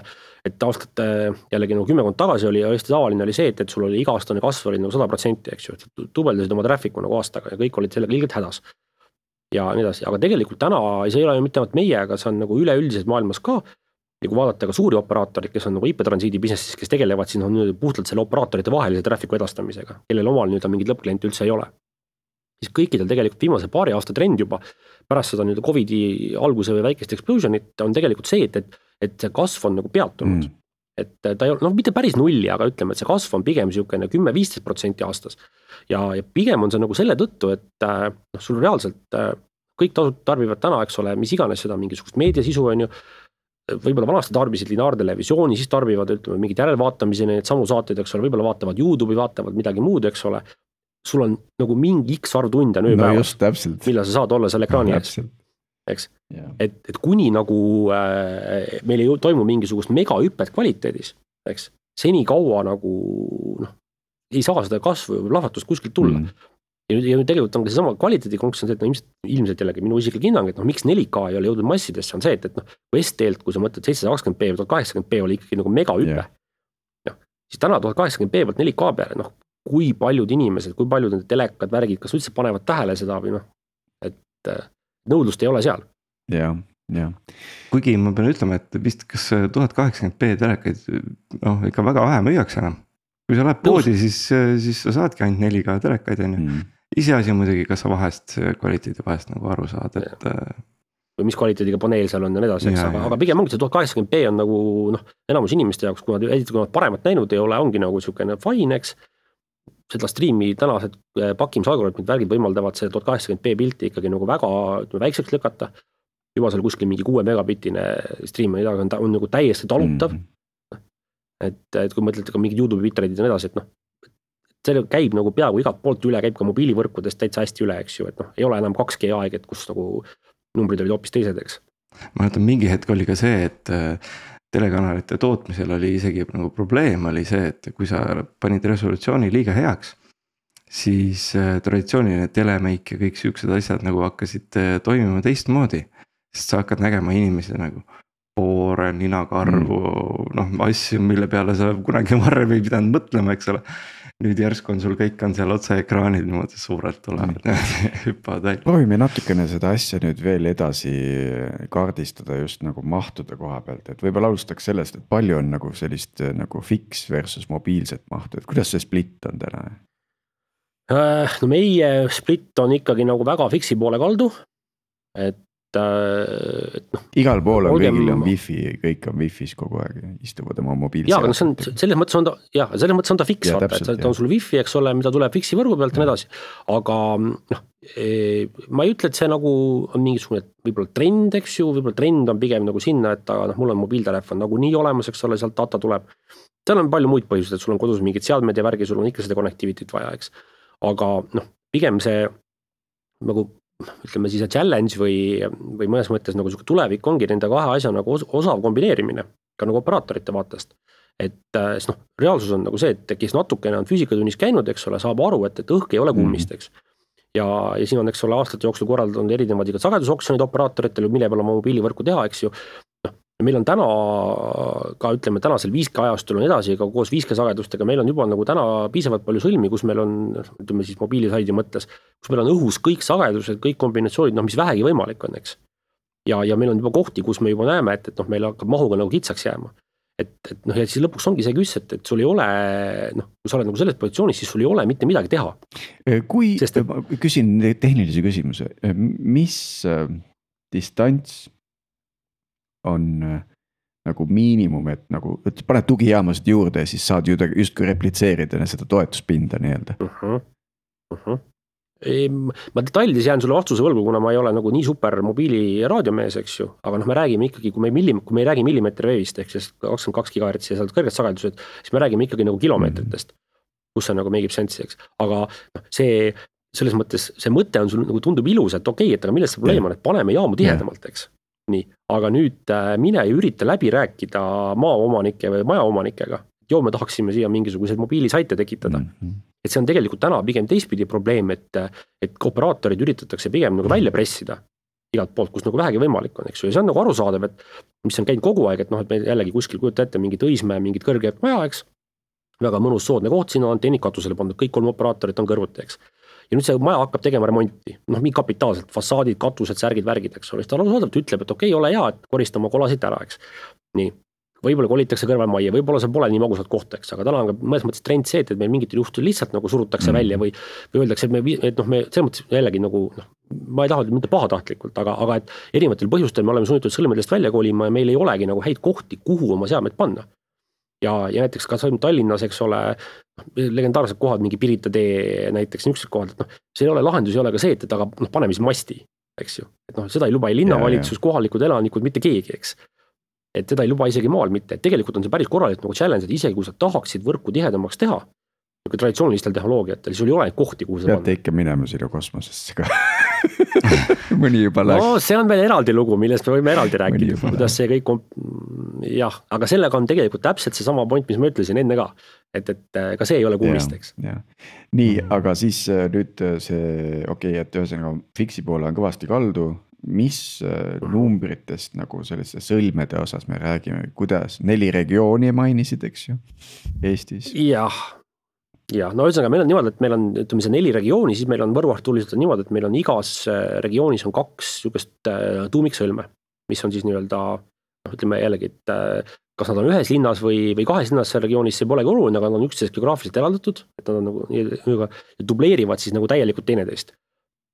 et aastate jällegi nagu kümmekond tagasi oli ja Eesti tavaline oli see, et, et sul oli iga-aastane kasv oli nagu sada protsenti, eks ju, et tubeldasid oma traffic'u nagu aastaga ja kõik olid sellega ilgelt hädas. Ja nii edasi, aga tegelikult täna see ei ole ju mitte ainult meie, aga see on nagu üleüldiselt maailmas ka, ja kui vaadata ka suuri operaatorid, kes on nagu I P-transiidi businessis, kes tegelevad siin on puhtalt selle operaatorite vahelise traffic'u edastamisega, kellel omal nüüd on mingid lõppkliente üldse ei ole. Siis kõikidel tegelikult viimase paari aasta trend juba pärast seda nüüd Covidi alguse või väikest explosionit on tegelikult see, et, et, et see kasv on nagu peatunud. Mm. Et ta ei ole, noh mitte päris nulli, aga ütleme, et see kasv on pigem niisugune kümme viisteist protsenti aastas. Ja, ja pigem on see nagu selle tõttu, et noh, sul reaalselt kõik tarbivad täna, eks ole, mis iganes seda mingisugust meediasisu on ju, võib-olla vanasti tarbisid lineaartelevisiooni, siis tarbivad ütleme, mingid järelvaatamiseni, need samu saateid, eks ole, võib-olla vaatavad YouTube'i, vaatavad midagi muud, eks ole. Sul on nagu mingi X arv tunde on ööpäevas, no millal sa saad olla seal ekraani ees, eks. Yeah. Et, et kuni nagu äh, meil ei toimu mingisugust megahüppet kvaliteedis, eks, seni kaua nagu noh, ei saa seda kasvu või lahvatust kuskilt tulla. Mm. Ja, nüüd, ja nüüd tegelikult on ka see sama kvaliteedikonks on see, et no, ilmselt, ilmselt jällegi minu isiklik hinnang, et noh, miks neli K ei ole jõudnud massidesse, on see, et, et noh, kui S T-lt, kui sa mõtled seitsesada kakskümmend p või tuhat kaheksakümmend p oli ikkagi nagu megahüppe, yeah. no, siis täna tuhat kaheksakümmend p pealt neli K peale, noh, kui paljud inimesed, kui paljud need telekad, värgid, kas üldse panevad tähele seda või noh, et nõudlust ei ole seal. Jah, jah. Kuigi ma pean ütlema, et vist kas tuhat kaheksakümmend p telekaid noh, ikka väga vähe müüaks enam. Kui sa lähed poodi, siis, siis sa saadki ainult neli K telekaid, on ju. Mm. Iseasi muidugi, kas sa vahest kvaliteedi vahest nagu aru saad, et või mis kvaliteediga paneel seal on ja nii edasi, eks, aga, aga pigem ongi see tuhat kaheksakümmend p on nagu noh, enamus inimeste jaoks, kui nad, kui nad paremat näinud ei ole, ongi nagu niisugune fine, eks. Seda striimi tänased pakkimisalgoritmid värgid võimaldavad see tuhat kaheksakümmend p pilti ikkagi nagu väga ütleme, väikseks lükata. Juba seal kuskil mingi kuue megabitine striim on, on, on nagu täiesti talutav. Mm-hmm. Et, et kui mõtlete ka mingid YouTube bitrate'id ja nii edasi, et noh, see käib nagu peaaegu igalt poolt üle, käib ka mobiilivõrkudest täitsa hästi üle, eks ju, et noh, ei ole enam kaks G aeg, et kus nagu numbrid olid hoopis teised, eks. Ma mõtlen, mingi hetk oli ka see, et telekanalite tootmisel oli isegi nagu probleem oli see, et kui sa panid resolutsiooni liiga heaks, siis traditsiooniline telemeik ja kõik siuksed asjad nagu hakkasid toimima teistmoodi, sest sa hakkad nägema inimesi nagu poore, ninakarvu, mm. noh asju, mille peale sa kunagi varem ei pidanud mõtlema, eks ole. Nüüd järsku on sul kõik on seal otse ekraanid niimoodi suurelt tulevad mm. hüppavad välja. Proovime natukene seda asja nüüd veel edasi kaardistada just nagu mahtude koha pealt, et võib-olla alustaks sellest, et palju on nagu sellist nagu fix versus mobiilset mahtu, et kuidas see split on täna? No meie split on ikkagi nagu väga fixi poole kaldu, et et noh. Igal pool on kõigil on wifi, kõik on wifis kogu aeg, istuvad oma mobiilse. Jaa, aga see on, selles mõttes on ta, jah, selles mõttes on ta fix, ja, vaata, täpselt, et ta on sul wifi, eks ole, mida tuleb fixi võrgu pealt ja nii edasi. Aga noh, ma ei ütle, et see nagu on mingisugune võib-olla trend, eks ju, võib-olla trend on pigem nagu sinna, et aga noh, mul on mobiiltelefon nagu nii olemas, eks ole, sealt data tuleb. Seal on palju muid põhjused, et sul on kodus mingid seadmed ja värgi, sul on ikka seda connectivity't vaja, eks. Aga noh, pigem see nagu ütleme siis challenge või, või mõnes mõttes nagu tulevik ongi nende kahe asja nagu osav kombineerimine ka nagu operaatorite vaatest. Et siis noh, reaalsus on nagu see, et kes natukene on füüsikatunnis käinud, eks ole, saab aru, et, et õhk ei ole kummist, eks. Ja, ja siin on, eks ole, aastate jooksul korraldanud erinevad iga sagedusoksjonid operaatoritel, mille peale oma mobiilivõrku teha, eks ju. Noh, meil on täna ka ütleme tänasel viis G ajastul on edasi ka koos viis G sagedustega, meil on juba nagu täna piisavalt palju sõlmi, kus meil on, ütleme siis mobiilisaidi mõttes, kus meil on õhus kõik sagedused, kõik kombinatsioonid, noh mis vähegi võimalik on, eks. Ja, ja meil on juba kohti, kus me juba näeme, et, et noh, meil hakkab mahuga nagu kitsaks jääma. Et, et noh, ja siis lõpuks ongi see küss, et, et sul ei ole, noh, kui sa oled nagu selles positsioonis, siis sul ei ole mitte midagi teha. Kui, Sest, et, ma küsin tehnilise küsimuse, mis äh, distants on nagu miinimum, et nagu et paned tugijaamasid juurde ja siis saad ju justkui replitseerida seda toetuspinda nii-öelda. Uh-huh. Uh-huh. E, ma detailides jään sulle vastuse võlgu, kuna ma ei ole nagu nii super mobiili raadiomees, eks ju, aga noh, me räägime ikkagi, kui me, millim, kui me ei räägi millimeeterveevist, ehk siis kakskümmend kaks gigahertsi ja sealt kõrged sagedused, siis me räägime ikkagi nagu kilomeetritest, kus see nagu meigib sensi, eks. Aga noh, see, selles mõttes, see mõte on sul nagu tundub ilus, et okei, et aga millest see probleem on, et paneme jaamu tihedamalt, eks. nii, aga nüüd mine ja ürita läbi rääkida maaomanike või majaomanikega. Joo, me tahaksime siia mingisuguseid mobiilisaite tekitada. Mm-hmm. Et see on tegelikult täna pigem teistpidi probleem, et, et operaatorid üritatakse pigem nagu välja pressida igalt poolt, kus nagu vähegi võimalik on, eks ju. Ja see on nagu arusaadav, et mis on käinud kogu aeg, et noh, et me jällegi kuskil kujuta ette mingit Õismäe, mingit kõrget maja, eks. Väga mõnus soodne koht, siin on tennikatusele pandud, kõik kolm operaatorit on kõrvuti, eks. Ja nüüd see maja hakkab tegema remonti, noh, mingi kapitaalselt, fassaadid, katused, särgid, värgid, eks ole. Ta arusaadavalt ütleb, et okei, okay, ole hea, et korista oma kolasid ära, eks. Nii, võib-olla kolitakse kõrvalmajja, võib-olla see pole nii magusat kohta, eks, aga täna on mõnes mõttes trend see, et meil mingitel juhtul lihtsalt nagu surutakse mm. välja või, või öeldakse, et me, et noh, me selles mõttes jällegi nagu, noh, ma ei taha mitte pahatahtlikult, aga, aga et erinevatel põhjustel me oleme sunnitud sõlmedest välja kolima ja meil ei olegi nagu häid kohti, kuhu oma seadmed panna. Ja, ja näiteks ka Tallinnas, eks ole, legendaarsed kohad, mingi Pirita tee näiteks niisugused kohad, et noh, see ei ole lahendus, ei ole ka see, et aga noh, paneme siis masti, eks ju. Et noh, seda ei luba ei linnavalitsus, kohalikud elanikud, mitte keegi, eks. Et seda ei luba isegi maal mitte, et tegelikult on see päris korralik nagu challenge, et isegi kui sa tahaksid võrku tihedamaks teha, nagu traditsioonilistel tehnoloogiatel, sul ei ole kohti, kuhu seda peate ikka minema sinna kosmosesse ka. Mõni juba läks. No see on veel eraldi lugu, millest me võime eraldi rääkida, kuidas see kõik on, jah, aga sellega on tegelikult täpselt see sama point, mis ma ütlesin enne ka, et, et ka see ei ole kummist, eks. Ja. Nii, aga siis nüüd see, okei, okay, et ühesõnaga fiksi poole on kõvasti kaldu. Mis numbritest nagu selliste sõlmede osas me räägime, kuidas neli regiooni mainisid, eks ju, Eestis? Jah, jah, no ühesõnaga meil on niimoodi, et meil on, ütleme see neli regiooni, siis meil on võrguartuliselt niimoodi, et meil on igas regioonis on kaks niisugust tuumiksõlme, mis on siis nii-öelda, noh, ütleme jällegi, et kas nad on ühes linnas või, või kahes linnas seal regioonis, see polegi oluline, aga nad on üksteisest geograafiliselt eraldatud, et nad on nagu, dubleerivad siis nagu täielikult teineteist.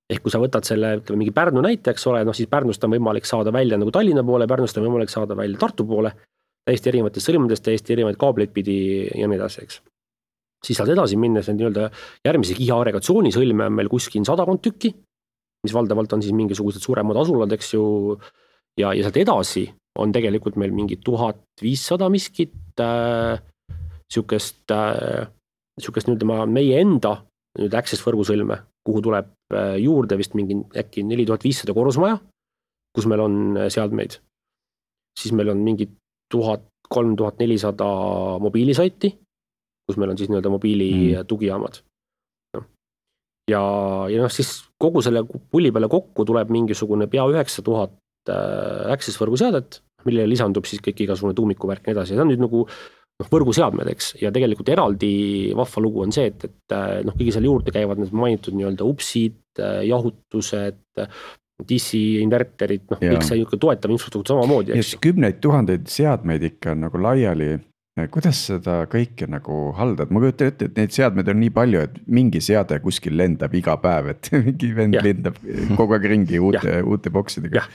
Ehk kui sa võtad selle, ütleme mingi Pärnu näite, eks ole, noh siis Pärnust on võimalik saada välja nagu Tallinna poole, Pärnust on võimalik saada välja Tartu poole, täiesti erinevatest sõlmedest, täiesti erinevaid kaableid pidi ja nii edasi, eks. Siis saad edasi minnes nii-öelda järgmise kiha agregatsiooni sõlme on meil kuskil sadakond tükki, mis valdavalt on siis mingisugused suuremad asulad, eks ju, ja, ja sealt edasi on tegelikult meil mingi tuhat viissada miskit äh, siukest äh, siukest nii-öelda meie enda nüüd access võrgusõlme, kuhu tuleb juurde vist mingi äkki neli tuhat viissada korrusmaja, kus meil on seadmeid. Siis meil on mingi tuhat, kolm tuhat nelisada mobiilisaiti, kus meil on siis nii-öelda mobiili mm. tugijaamad. No. Ja, ja noh, siis kogu selle pulli peale kokku tuleb mingisugune pea üheksa tuhat access võrguseadet, millele lisandub siis kõik igasugune tuumikuvärk ja edasi. See on nüüd nagu noh, võrguseadmed, eks, ja tegelikult eraldi vahva lugu on see, et, et noh, kõigi seal juurde käivad need mainitud nii-öelda upsid, jahutused, dissi, inverterid, noh, kõik see toetav infrastruktuur samamoodi, eks. Kümneid tuhandeid seadmeid ikka nagu laiali, kuidas seda kõike nagu haldad? Ma kujutan ette, et neid seadmeid on nii palju, et mingi seade kuskil lendab iga päev, et mingi vend ja. lendab kogu aeg ringi uute, uute boksidega. Jah,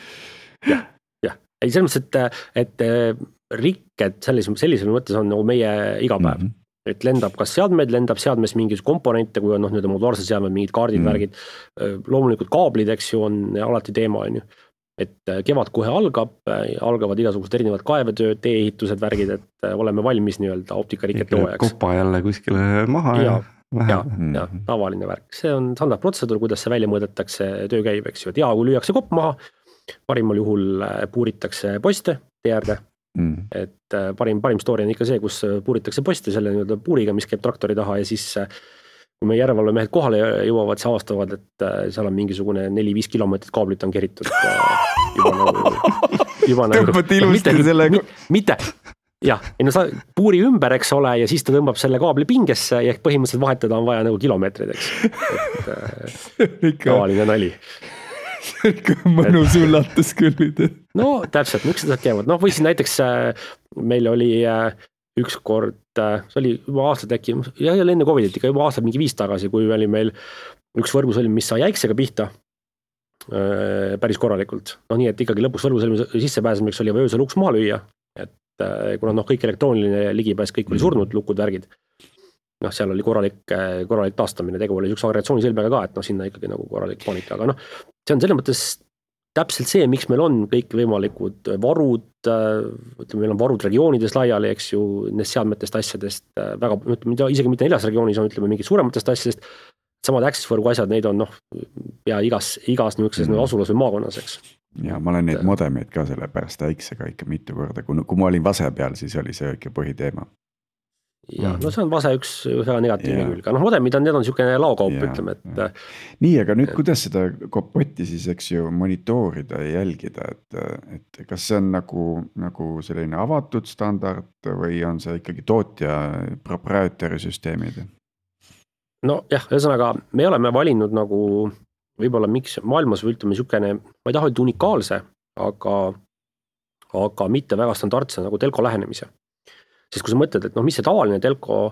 jah, jah. Ei, selles mõttes, et, et rikked sellisel, sellisel mõttes on nagu meie igapäev. Mm-hmm. Et lendab kas seadmeid, lendab seadmes mingis komponente, kui on noh, nüüd modulaarsed seadmed, mingid kaardid, mm. värgid. Loomulikult kaablid, eks ju, on alati teema, on ju. Et kevad kohe algab, algavad igasugused erinevad kaevetööd, tee-ehitused, värgid, et oleme valmis nii-öelda optikarikete hooajaks. Kopa jälle kuskile maha ja, ja, ja, mm. ja tavaline värk. See on standard protseduur, kuidas see välja mõõdetakse, töö käib, eks ju. Et ja, kui lüüakse kopp maha, parimal juhul puuritakse poste tee äärde. Mm. Et parim, parim story on ikka see, kus puuritakse posti selle nii-öelda puuriga, mis käib traktori taha ja siis kui me järelevalvemehed kohale jõuavad, siis avastavad, et seal on mingisugune neli-viis kilomeetrit kaablit on keritud. Juba nagu, juba nagu, tõmbad ilusti no, selle. Mitte, jah, ei no sa puuri ümber, eks ole, ja siis ta tõmbab selle kaabli pingesse ja ehk põhimõtteliselt vahetada on vaja nagu kilomeetrid, eks. Et tavaline nali. Mõnus üllatus küll. No täpselt, miks seda käivad? No või siis näiteks meil oli üks kord, see oli juba aastad äkki, ja enne Covidit ikka juba aastad mingi viis tagasi, kui oli meil üks võrgusõlm, mis sai äiksega pihta päris korralikult. No nii, et ikkagi lõpuks võrgusõlmi sissepääsemiseks oli öösel uks maha lüüa, et kuna noh, kõik elektrooniline ligipääs, kõik oli surnud, lukud, värgid. Noh, seal oli korralik, korralik taastamine, tegu oli üks agregatsioonisilmega ka, et noh, sinna ikkagi nagu korralik paanika, aga noh, see on selles mõttes täpselt see, miks meil on kõik võimalikud varud, ütleme, meil on varud regioonides laiali, eks ju, nendest seadmetest asjadest, väga, ütleme, isegi mitte neljas regioonis on, ütleme, mingid suurematest asjadest, samad access võrgu asjad, neid on noh, ja igas, igas niisuguses mm. asulas või maakonnas, eks. ja ma olen neid modemeid ka selle pärast väiksega ikka mitu korda, kui, kui ma olin Vase peal, siis oli see ikka põhiteema. Ja no see on Vase üks väga negatiivne yeah. külg, noh modemid on, need on niisugune laokaup yeah, ütleme, et yeah. nii, aga nüüd kuidas seda kopotti siis eks ju monitoorida ja jälgida, et, et kas see on nagu, nagu selline avatud standard või on see ikkagi tootja proprietary süsteemid? No jah, ühesõnaga me oleme valinud nagu võib-olla miks maailmas või ütleme niisugune, ma ei taha öelda unikaalse, aga, aga mitte väga standardse nagu telko lähenemise. Siis kui sa mõtled, et noh, mis see tavaline telko,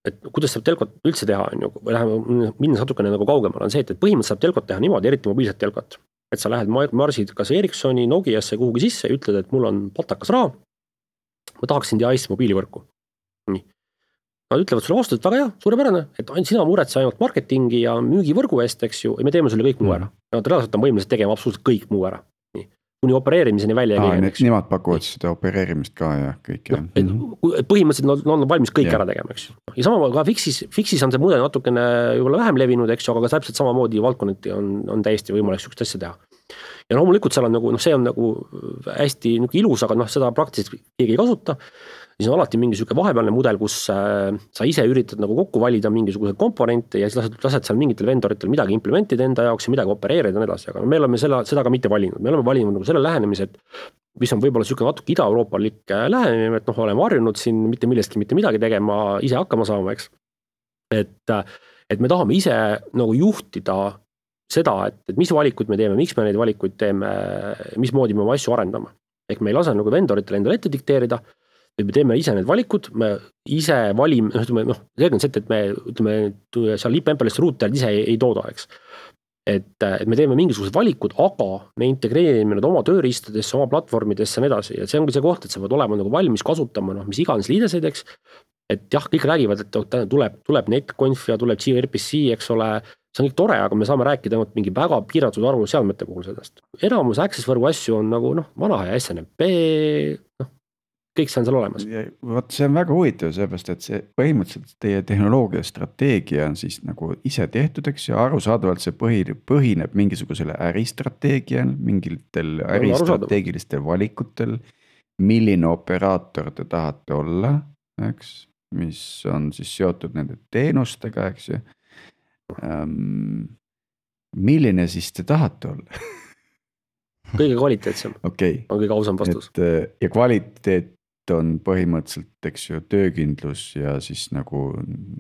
et kuidas saab telkot üldse teha, on ju, või läheme minnes natukene nagu kaugemale, on see, et põhimõtteliselt saab telkot teha niimoodi, eriti mobiilset telkot. Et sa lähed marsid kas Ericssoni, Nokiasse kuhugi sisse ja ütled, et mul on patakas raha, ma tahaksin teha Eesti mobiilivõrku. Nii. Nad ütlevad sulle vastu, et väga hea, suurepärane, et ainult sina muretse ainult marketingi ja müügivõrgu eest, eks ju, ja me teeme sulle kõik muu ära. Nad reaalselt on võimelised tegema absoluutselt kõik muu ära. Nii. Kuni opereerimiseni välja Aa, ei käi. Nemad pakuvad seda opereerimist ka ja kõik. Ja. No, põhimõtteliselt nad on valmis kõik ja. Ära tegema, eks ju. Ja sama ka Fixis, Fixis on see mudel natukene juba vähem levinud, eks ju, aga täpselt samamoodi valdkonnati on, on täiesti võimalik sükest asja teha. Ja loomulikult seal on nagu, noh, see on nagu hästi nagu ilus, aga noh, seda praktiliselt keegi ei kasuta. Siis on alati mingi süke vahepealne mudel, kus äh, sa ise üritad nagu kokku valida mingisugused komponente ja siis lased, lased seal mingitel vendoritel midagi implementida enda jaoks ja midagi opereerida ja nii edasi, aga me oleme seda, seda ka mitte valinud. Me oleme valinud nagu selle lähenemise, et mis on võib-olla süke natuke ida-euroopalik lähenemine, et noh, oleme harjunud siin mitte millestki mitte midagi tegema, ise hakkama saama, eks. Et, et me tahame ise nagu juhtida seda, et, et mis valikuid me teeme, miks me neid valikuid teeme, mismoodi me oma asju arendame. Ehk me ei lase nagu vendoritel endale ette dikteerida, me teeme ise need valikud, me ise valime, ütleme, noh, selge on see, et me ütleme, seal liipempelist ruuterid ise ei, ei tooda, eks. Et, et me teeme mingisugused valikud, aga me integreerime need oma tööriistadesse, oma platvormidesse ja nii edasi. Ja see ongi see koht, et sa pead olema nagu valmis kasutama, noh, mis iganes liideseid, eks. Et jah, kõik räägivad, et tuleb, tuleb netconf ja tuleb gRPC, eks ole, see on kõik tore, aga me saame rääkida ainult mingi väga piiratud arvu seadmete puhul sellest. Enamus access võrgu asju on nagu, noh, vana ja S N M P, noh, kõik see on seal olemas. Vaat see on väga huvitav, seepärast, et see põhimõtteliselt teie tehnoloogia strateegia on siis nagu ise tehtud, eks ja arusaadavalt see põhi, põhineb mingisugusele äristrateegial, mingitel äristrateegilistel valikutel, milline operaator te tahate olla, eks, mis on siis seotud nende teenustega, eks ju. Um, milline siis te tahate olla? Kõige kvaliteetsem okay. On kõige ausam vastus. Et, ja kvaliteet on põhimõtteliselt, eks ju, töökindlus ja siis nagu,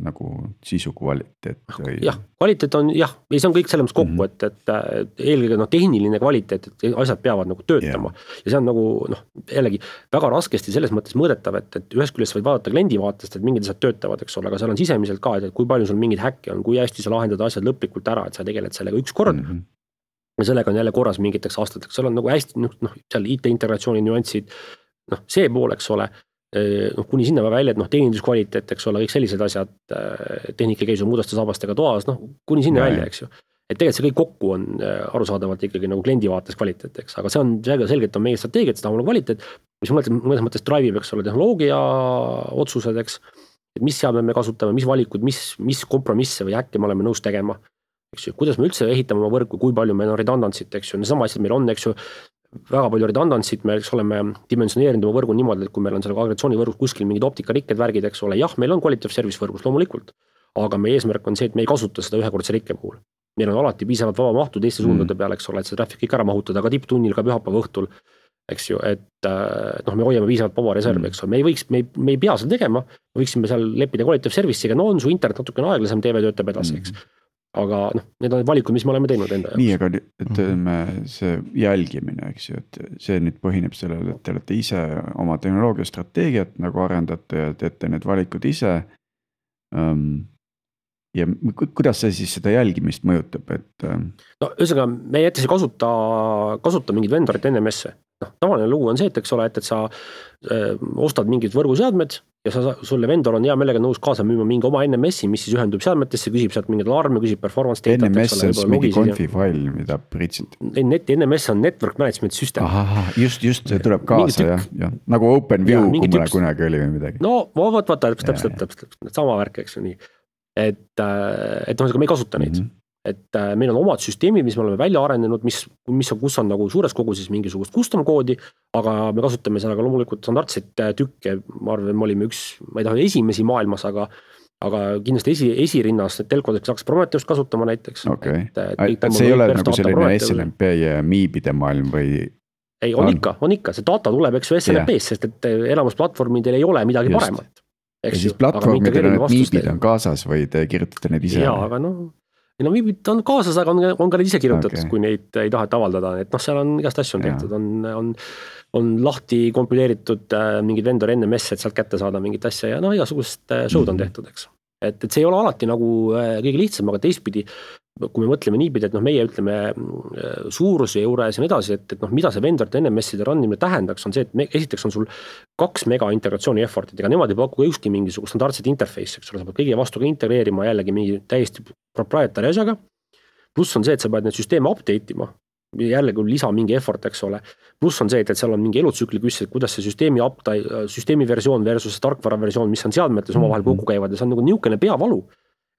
nagu sisu kvaliteet. Või... jah, kvaliteet on, jah, ja see on kõik selles kokku, mm-hmm. et, et, et eelkõige no, tehniline kvaliteet, et asjad peavad nagu töötama. Yeah. Ja see on nagu, noh, jällegi väga raskesti selles mõttes mõõdetav, et, et ühest küljest võid vaadata kliendi vaatest, et mingid asjad töötavad, eks ole, aga seal on sisemiselt ka, et kui palju sul mingid häkke on, kui hästi sa lahendad asjad lõplikult ära, et sa tegeled sellega üks kord, mm-hmm. ja sellega on jälle korras mingiteks aastateks, seal on nagu hästi, noh, seal I T-integratsiooni nüansid, noh, see pool, eks ole, noh, kuni sinna välja, et noh, teeninduskvaliteet, eks ole, kõik sellised asjad, tehnika käis muudaste saabastega toas, noh, kuni sinna ja, välja, eks ju. Et tegelikult see kõik kokku on arusaadavalt ikkagi nagu kliendi vaates kvaliteet, eks, aga see on selgelt on meie strateegia, et seda on kvaliteet, mis mõnes mõttes drive'ib, eks ole, tehnoloogia otsused, eks, et mis seadme me kasutame, mis valikud, mis, mis kompromisse või äkki me oleme nõus tegema, eks ju, kuidas me üldse ehitame oma võrku, kui palju meil on redundantsit, eks ju, sama asjad meil on, eks ju, väga palju redundantsit, me oleme dimensioneerinud oma võrgu niimoodi, et kui meil on selle agregatsioonivõrgus kuskil mingid optikarikked värgid, eks ole, jah, meil on quality of service võrgus loomulikult, aga meie eesmärk on see, et me ei kasuta seda ühekordse rikke puhul. Meil on alati piisavalt vaba mahtu teiste suundade peale, eks ole, et see traffic kõik ära mahutada, ka tipptunnil, ka pühapäeva õhtul, eks ju, et noh, me hoiame piisavalt vaba reservi, eks ole, me ei võiks, me ei, me ei pea seda tegema, me võiksime seal leppida quality of service'iga, no on su internet natukene aeglasem, T V töötab edasi, eks. Aga noh, need on valikud, mis me oleme teinud enda jaoks. Nii, aga ütleme see jälgimine, eks ju, et see nüüd põhineb sellele, et te olete ise oma tehnoloogia strateegiat nagu arendate ja teete need valikud ise. Ja kuidas see siis seda jälgimist mõjutab? Et... no ühesõnaga, me jättes ei kasuta, kasuta mingid vendorit N M S-e. noh, tavaline lugu on see, et eks ole, et, et sa öö, ostad mingid võrguseadmed ja sa, sulle vendor on hea meelega nõus kaasa müüma mingi oma N M S-i, mis siis ühendub seadmetesse, küsib sealt mingid alarme, küsib performance data. N M S on mingi confi fail, mida pritsid. Net, N M S on network management system. Aha, just, just, see tuleb kaasa, jah, jah. Nagu OpenView, kui mulle kunagi oli või midagi. No, vaat, vaata, täpselt, täpselt, täpselt, sama värk, eks ju nii. Et, et noh, me ei kasuta neid. Mm-hmm. et meil on omad süsteemid, mis me oleme välja arendanud, mis, mis on, kus on nagu suures koguses mingisugust custom koodi, aga me kasutame sellega loomulikult standardseid tükke, ma arvan, me olime üks, ma ei taha esimesi maailmas, aga aga kindlasti esi, esirinnas telkodeks saaks Prometheust kasutama näiteks. Okay. Et, et see ei ole nagu selline S N M P ja miibide maailm või? Ei, on, on ikka, on ikka, see data tuleb, eks ju S N M P-s, sest et elamus platvormidel ei ole midagi Just. paremat. Ja siis platvormidel on, et miibid on kaasas või te kirjutate need ise? Jaa, aga noh, no miibid on kaasas, aga on, on ka need ise kirjutatud, okay. kui neid ei taheta avaldada, et noh, seal on igast asju on tehtud, on, on, on lahti kompileeritud äh, mingid vendor N M S, et sealt kätte saada mingit asja ja noh, igasugust äh, show'd on tehtud, eks. Et, et see ei ole alati nagu äh, kõige lihtsam, aga teistpidi, kui me mõtleme niipidi, et noh, meie ütleme äh, suuruse juures ja nii edasi, et, et noh, mida see vendor N M S-ide randimine tähendaks, on see, et me, esiteks on sul kaks mega integratsiooni effort'id, ega nemad ei paku ükski mingisugust standardset interface, eks ole, sa pead kõige vastu ka integreerima jällegi mingi täiesti proprietary asjaga. Pluss on see, et sa pead need süsteeme update ima, jällegi lisa mingi effort, eks ole. Pluss on see, et, et seal on mingi elutsükli küsimus, et kuidas see süsteemi, update, süsteemi versioon versus tarkvara versioon, mis on seadmetes omavahel kokku käivad ja see on nagu niisugune peavalu.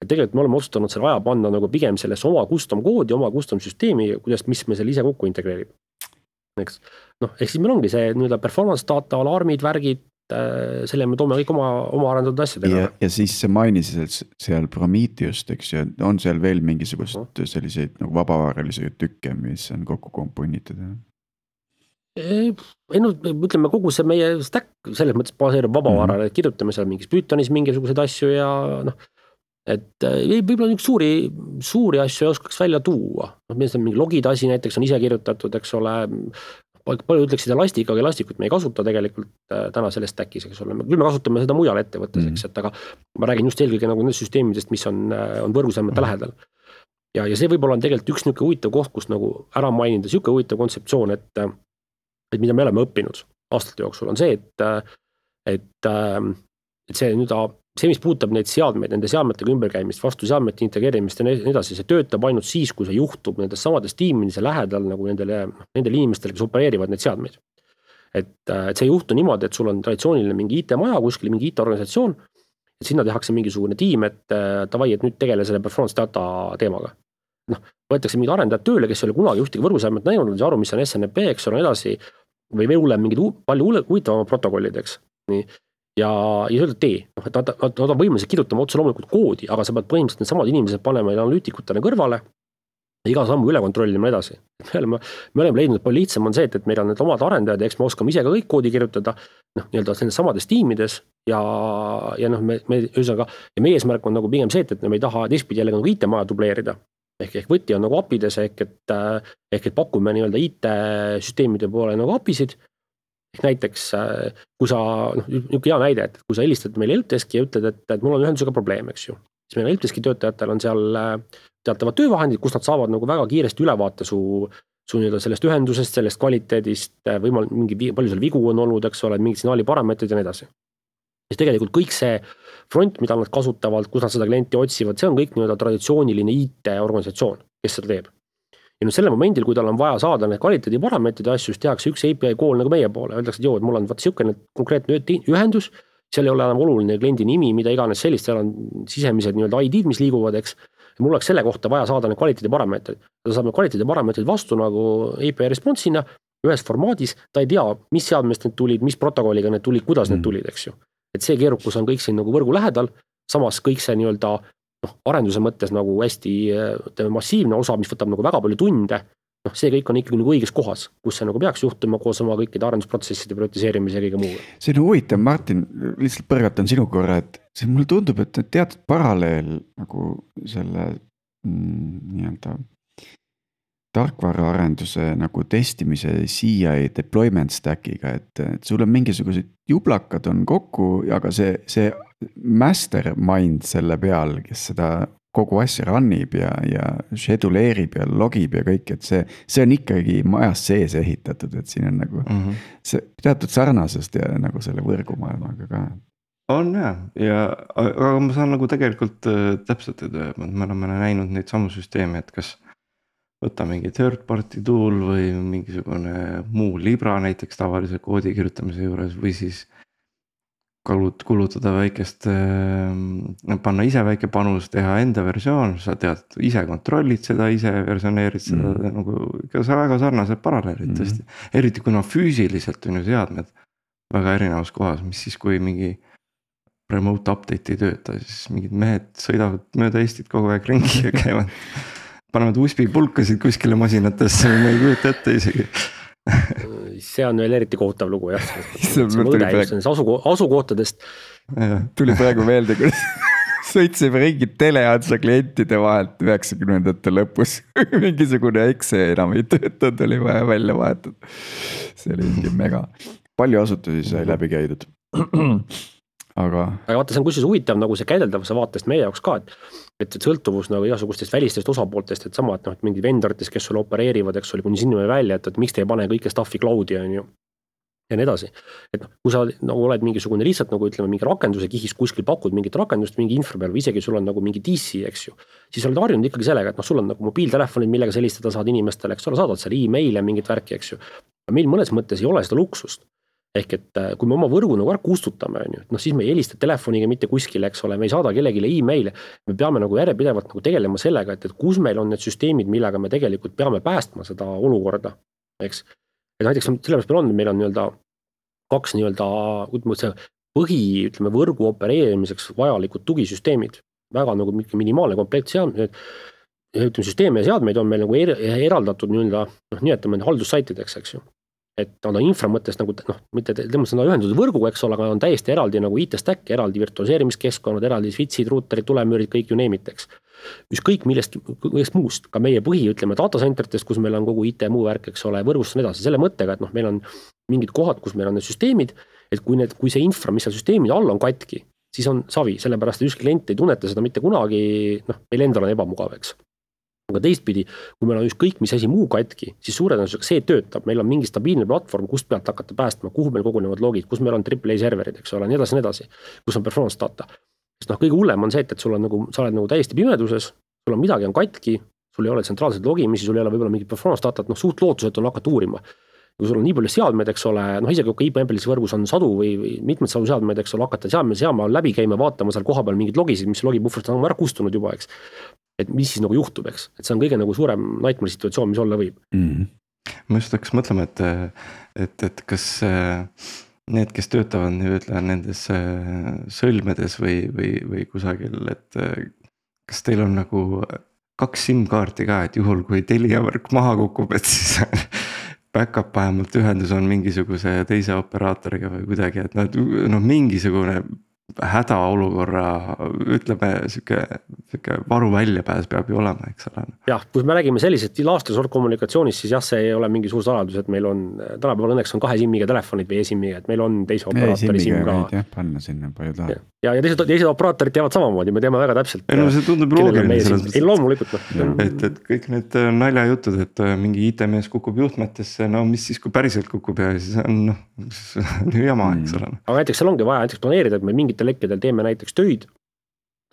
Et tegelikult me oleme otsustanud selle aja panna nagu pigem sellesse oma custom koodi, oma custom süsteemi, kuidas, mis me selle ise kokku integreerib. Eks, noh, ehk siis meil ongi see nii-öelda performance data, alarmid, värgid, selle me toome kõik oma, oma arendatud asjadega. Ja, ja siis see mainisid seal Prometheust, eks ju, on seal veel mingisugust no. selliseid nagu vabavaralisi tükke, mis on kokku komponitud? Ei, no ütleme kogu see meie stack selles mõttes baseerub vabavarale, et kirjutame seal mingis Pythonis mingisuguseid asju ja noh, et võib-olla üks suuri, suuri asju ei oskaks välja tuua. No, meil on mingi logid asi näiteks on ise kirjutatud, eks ole, palju ütleksid elastik, aga elastikut me ei kasuta tegelikult täna selles stackis, eks ole. Küll me kasutame seda mujal ettevõttes, eks, et aga ma räägin just eelkõige nagu nendest süsteemidest, mis on, on võrguseadmete mm. lähedal. Ja, ja see võib-olla on tegelikult üks niisugune huvitav koht, kus nagu ära mainida, niisugune huvitav kontseptsioon, et, et mida me oleme õppinud aastate jooksul, on see, et, et, et see nüüd see, mis puudutab neid seadmeid, nende seadmetega ümberkäimist, vastu seadmete integreerimist ja nii edasi, see töötab ainult siis, kui see juhtub nendes samades tiimidesse lähedal nagu nendele, nendele inimestele, kes opereerivad neid seadmeid. Et, et see ei juhtu niimoodi, et sul on traditsiooniline mingi I T-maja, kuskil mingi I T-organisatsioon, et sinna tehakse mingisugune tiim, et tavai, et nüüd tegele selle performance data teemaga. Noh, võetakse mingid arendajad tööle, kes ei ole kunagi ühtegi võrguseadmet näinud, ja aru, mis on S N M P, eks ole, edasi, või veel mingid palju huvitavama protokollid, eks. Nii. Ja, ja öelda tee, noh, et nad, nad, nad on võimelised kirjutama otse loomulikult koodi, aga sa pead põhimõtteliselt need samad inimesed panema analüütikutele kõrvale ja iga sammu üle kontrollima edasi. Me oleme, me oleme leidnud, et palju lihtsam on see, et, et meil on need omad arendajad ja eks me oskame ise ka kõik koodi kirjutada noh, nii-öelda nendes samades tiimides ja, ja noh, me, me ühesõnaga, ja meie eesmärk on nagu pigem see, et, et me ei taha teistpidi jälle nagu I T-maja dubleerida. Ehk, ehk võti on nagu apides, ehk et, ehk et pakume nii-öelda I T-süsteemide poole nagu apisid. Ehk näiteks, kui sa, noh, niisugune hea näide, et kui sa helistad meile helpdeski ja ütled, et, et mul on ühendusega probleem, eks ju. Siis meil helpdeski töötajatel on seal teatavad töövahendid, kus nad saavad nagu väga kiiresti ülevaate su, su nii-öelda sellest ühendusest, sellest kvaliteedist, võimal, mingi, palju seal vigu on olnud, eks ole, mingid signaali parameetrid ja nii edasi. Siis tegelikult kõik see front, mida nad kasutavad, kus nad seda klienti otsivad, see on kõik nii-öelda traditsiooniline I T-organisatsioon, kes seda teeb. Ja nüüd selle momendil, kui tal on vaja saada need kvaliteedi parameetrid ja asju, siis tehakse üks A P I call nagu meie poole. Öeldakse, et joo, et mul on vaat siukene konkreetne ühendus, seal ei ole enam oluline kliendi nimi, mida iganes sellist, seal on sisemised nii-öelda I D-d, mis liiguvad, eks. Ja mul oleks selle kohta vaja saada need kvaliteedi parameetrid. Ta saab need kvaliteedi parameetrid vastu nagu A P I response'ina ühes formaadis, ta ei tea, mis seadmest need tulid, mis protokolliga need tulid, kuidas mm. need tulid, eks ju. Et see keerukus on kõik siin nagu võrgu lähedal, samas kõik see nii-öelda noh, arenduse mõttes nagu hästi massiivne osa, mis võtab nagu väga palju tunde, noh, see kõik on ikkagi nagu õiges kohas, kus see nagu peaks juhtuma koos oma kõikide arendusprotsesside prioritiseerimise ja kõige muuga. See on huvitav, Martin, lihtsalt põrgatan sinu korra, et see mulle tundub, et teatud paralleel nagu selle mm, nii-öelda tarkvaraarenduse nagu testimise C I deployment stackiga, et, et sul on mingisugused jublakad on kokku, aga see, see mastermind selle peal, kes seda kogu asja runnib ja, ja scheduleerib ja logib ja kõik, et see, see on ikkagi majas sees ehitatud, et siin on nagu mm -hmm. see teatud sarnasust ja nagu selle võrgumaailmaga ka. On jah, ja aga ma saan nagu tegelikult äh, täpselt, et me oleme näinud neid samu süsteeme, et kas võtta mingi third party tool või mingisugune muu libra näiteks tavalise koodi kirjutamise juures või siis kulut- kulutada väikest, panna ise väike panus, teha enda versioon, sa tead, ise kontrollid seda, ise versioneerid seda mm. nagu ikka sa väga sarnased paralleelid mm. tõesti. Eriti kuna füüsiliselt on ju seadmed väga erinevas kohas, mis siis kui mingi remote update ei tööta, siis mingid mehed sõidavad mööda Eestit kogu aeg ringi ja käivad, panevad U S B pulkasid kuskile masinatesse, ma ei kujuta ette isegi. See on veel eriti kohutav lugu jah, see mõõde just asuko- asukohtadest. Tuli praegu meelde, kui sõitsime ringi teleadsa klientide vahelt üheksakümnendate lõpus. Mingisugune X E enam ei töötanud, oli vaja välja vahetada. See oli mingi mega. Palju asutusi sai läbi käidud. Aga... aga vaata, see on kusjuures huvitav nagu see käideldavuse vaatest meie jaoks ka, et, et sõltuvus nagu igasugustest välistest osapooltest, et sama, et noh, et mingid vendoritest, kes sulle opereerivad, eks oli kuni sinna välja, et, et miks te ei pane kõike staffi cloudi on ju ja nii edasi. Et noh, kui sa nagu oled mingisugune lihtsalt nagu ütleme mingi rakenduse kihis kuskil pakud mingit rakendust mingi infra peal või isegi sul on nagu mingi D C, eks ju, siis oled harjunud ikkagi sellega, et noh, sul on nagu mobiiltelefonid, millega sa helistada saad inimestele, eks ole, saadad seal e-maile mingit värki, eks ju. Meil mõnes mõttes ei ole seda luksust. Ehk et kui me oma võrgu nagu ära kustutame, no siis me ei helista telefoniga mitte kuskile, eks ole, me ei saada kellegile e-maile, me peame nagu järjepidevalt nagu tegelema sellega, et, et kus meil on need süsteemid, millega me tegelikult peame päästma seda olukorda, eks. Et näiteks sellepärast meil on, meil on nii-öelda kaks nii-öelda põhi, ütleme, võrgu opereerimiseks vajalikud tugisüsteemid, väga nagu minimaalne komplekt seadmeid, ütleme, süsteeme ja seadmeid on meil nagu er, eraldatud nii-öelda, noh, nimetame haldussaitideks, eks ju. Et on infra mõttes nagu, noh, mitte tõmmast seda ühendused võrguga, eks ole, aga on täiesti eraldi nagu I T-stack, eraldi virtualiseerimiskeskkonnad, eraldi switchid, ruuterid, tulemüürid, kõik ju neemiteks. Ükskõik millest, millest muust, ka meie põhi, ütleme, data center'test, kus meil on kogu I T muu värk, eks ole, võrgust on edasi, selle mõttega, et noh, meil on mingid kohad, kus meil on need süsteemid, et kui need, kui see infra, mis seal süsteemid all on katki, siis on savi, sellepärast, et ükski klient ei tunneta seda mitte kunagi, noh, meil endal on ebamugav, eks. Aga teistpidi, kui meil on ükskõik mis asi muu katki, siis suure tõenäosusega see töötab, meil on mingi stabiilne platvorm, kust pealt hakata päästma, kuhu meil kogunevad logid, kus meil on triple A serverid, eks ole, nii edasi, nii edasi, kus on performance data. Sest noh, kõige hullem on see, et, et sul on nagu, sa oled nagu täiesti pimeduses, sul on midagi on katki, sul ei ole tsentraalseid logimisi, sul ei ole võib-olla mingi performance data, noh, suht lootuselt on hakata uurima. Kui sul on nii palju seadmeid, eks ole, noh, isegi kui I P M-pelis võrgus on sadu või, või mitmed sadu seadmeid, eks ole, hakata seadme seama läbi käima, vaatama seal koha peal mingid logisid, mis logipuhvrist on ära kustunud juba, eks. Et mis siis nagu juhtub, eks, et see on kõige nagu suurem nightmare situatsioon, mis olla võib. Mm. Ma just hakkas mõtlema, et, et, et kas need, kes töötavad nii-öelda nendes sõlmedes või, või, või kusagil, et kas teil on nagu kaks SIM-kaarti ka, et juhul kui Telia võrk maha kukub, et siis back-up vähemalt ühendus on mingisuguse teise operaatoriga või kuidagi, et nad, noh, mingisugune hädaolukorra, ütleme, siuke, siuke varu väljapääs peab ju olema, eks ole. Jah, kui me räägime sellisest laastra sort kommunikatsioonis, siis jah, see ei ole mingi suur saladus, et meil on, tänapäeval õnneks on kahe SIM-iga telefonid või e-SIM-iga, et meil on teise operaatori SIM ka. Jah, panna sinna palju taha. Ja, ja teised, teised operaatorid teavad samamoodi, me teame väga täpselt. Ei, no see tundub loogiline. Ei, loomulikult. Et, et kõik need naljajutud, et mingi I T-mees kukub juhtmetesse, no mis siis, kui päriselt kukub ja siis on, noh, jama, eks ole. Aga näiteks seal ongi vaja näiteks planeerida, et me mingitel hetkedel teeme näiteks töid,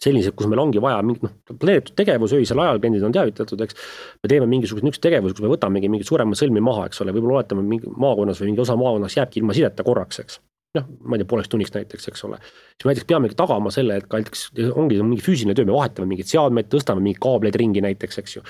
sellised, kus meil ongi vaja mingi, noh, planeeritud tegevus, öisel ajal kliendid on teavitatud, eks. Me teeme mingisugust nüks tegevus, kus me võtamegi mingid suuremad sõlmi maha, eks ole, võib-olla oletame mingi maakonnas või mingi osa maakonnas jääbki ilma sideta korraks, eks. Noh, ma ei tea, pooleks tunniks näiteks, eks ole. Siis me näiteks peamegi tagama selle, et ka näiteks ongi mingi füüsiline töö, me vahetame mingid seadmeid, tõstame mingi kaableid ringi näiteks, eks ju.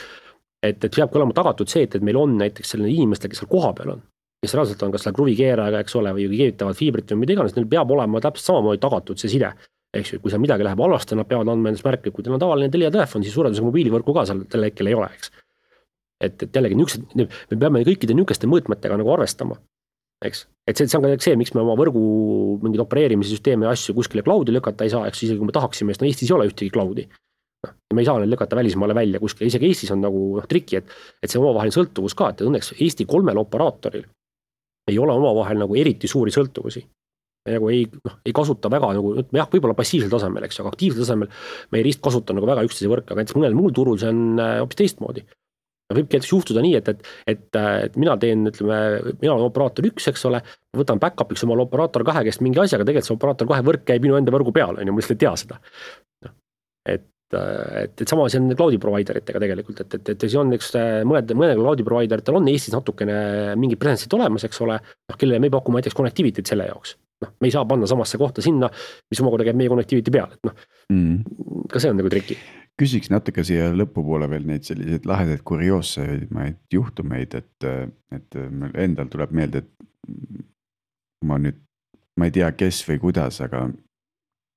Et, et peabki olema tagatud see, et, et meil on näiteks selline inimestel, kes seal koha peal on, kes reaalselt on kas seal kruvikeerajaga, eks ole, või keevitavad fiibrit või mida iganes, neil peab olema täpselt samamoodi tagatud see side. Eks ju, kui seal midagi läheb halvasti, nad peavad andma endast märke, kui teil on tavaline Telia telefon, siis suurendusega mobiilivõrku ka seal tälle hetkel ei ole, eks. Et, et jällegi nüksed, me peame kõikide nükeste mõõtmetega nagu arvestama, eks. Et see, see on ka see, miks me oma võrgu mingid opereerimise süsteeme ja asju kuskile cloudi lükata ei saa, eks isegi kui me tahaksime, sest no Eestis ei ole ühtegi cloudi. No, me ei saa neid lükata välismaale välja kuskile, isegi Eestis on nagu noh, triki, et, et see omavaheline sõltuvus ka, et õnneks Eesti kolmel operaatoril ei ole omavahel nagu eriti suuri sõltuvusi. Me nagu ei, noh, ei kasuta väga nagu, jah, võib-olla passiivsel tasemel, eks, aga aktiivsel tasemel me ei rist kasuta nagu väga üksteise võrka, aga näiteks mõnel muul turul see on hoopis teistmoodi. Võibki juhtuda nii, et, et, et, et mina teen, ütleme, mina olen operaator üks, eks ole, võtan back-up'iks omal operaator kahe, kes mingi asjaga, tegelikult see operaator kahe võrk käib minu enda võrgu peal, on ju, ma lihtsalt ei tea seda. Et, et, et sama see on cloudi provideritega tegelikult, et, et, et see on üks mõned, mõned cloudi provideritel on Eestis natukene mingi presence'id olemas, eks ole, noh, kellele me pakume näiteks connectivity't selle jaoks. noh, me ei saa panna samasse kohta sinna, mis omakorda käib meie connectivity peal, et noh mm., ka see on nagu triki. Küsiks natuke siia lõpupoole veel neid selliseid lahedaid kurioossemaid juhtumeid, et, et endal tuleb meelde, et ma nüüd, ma ei tea, kes või kuidas, aga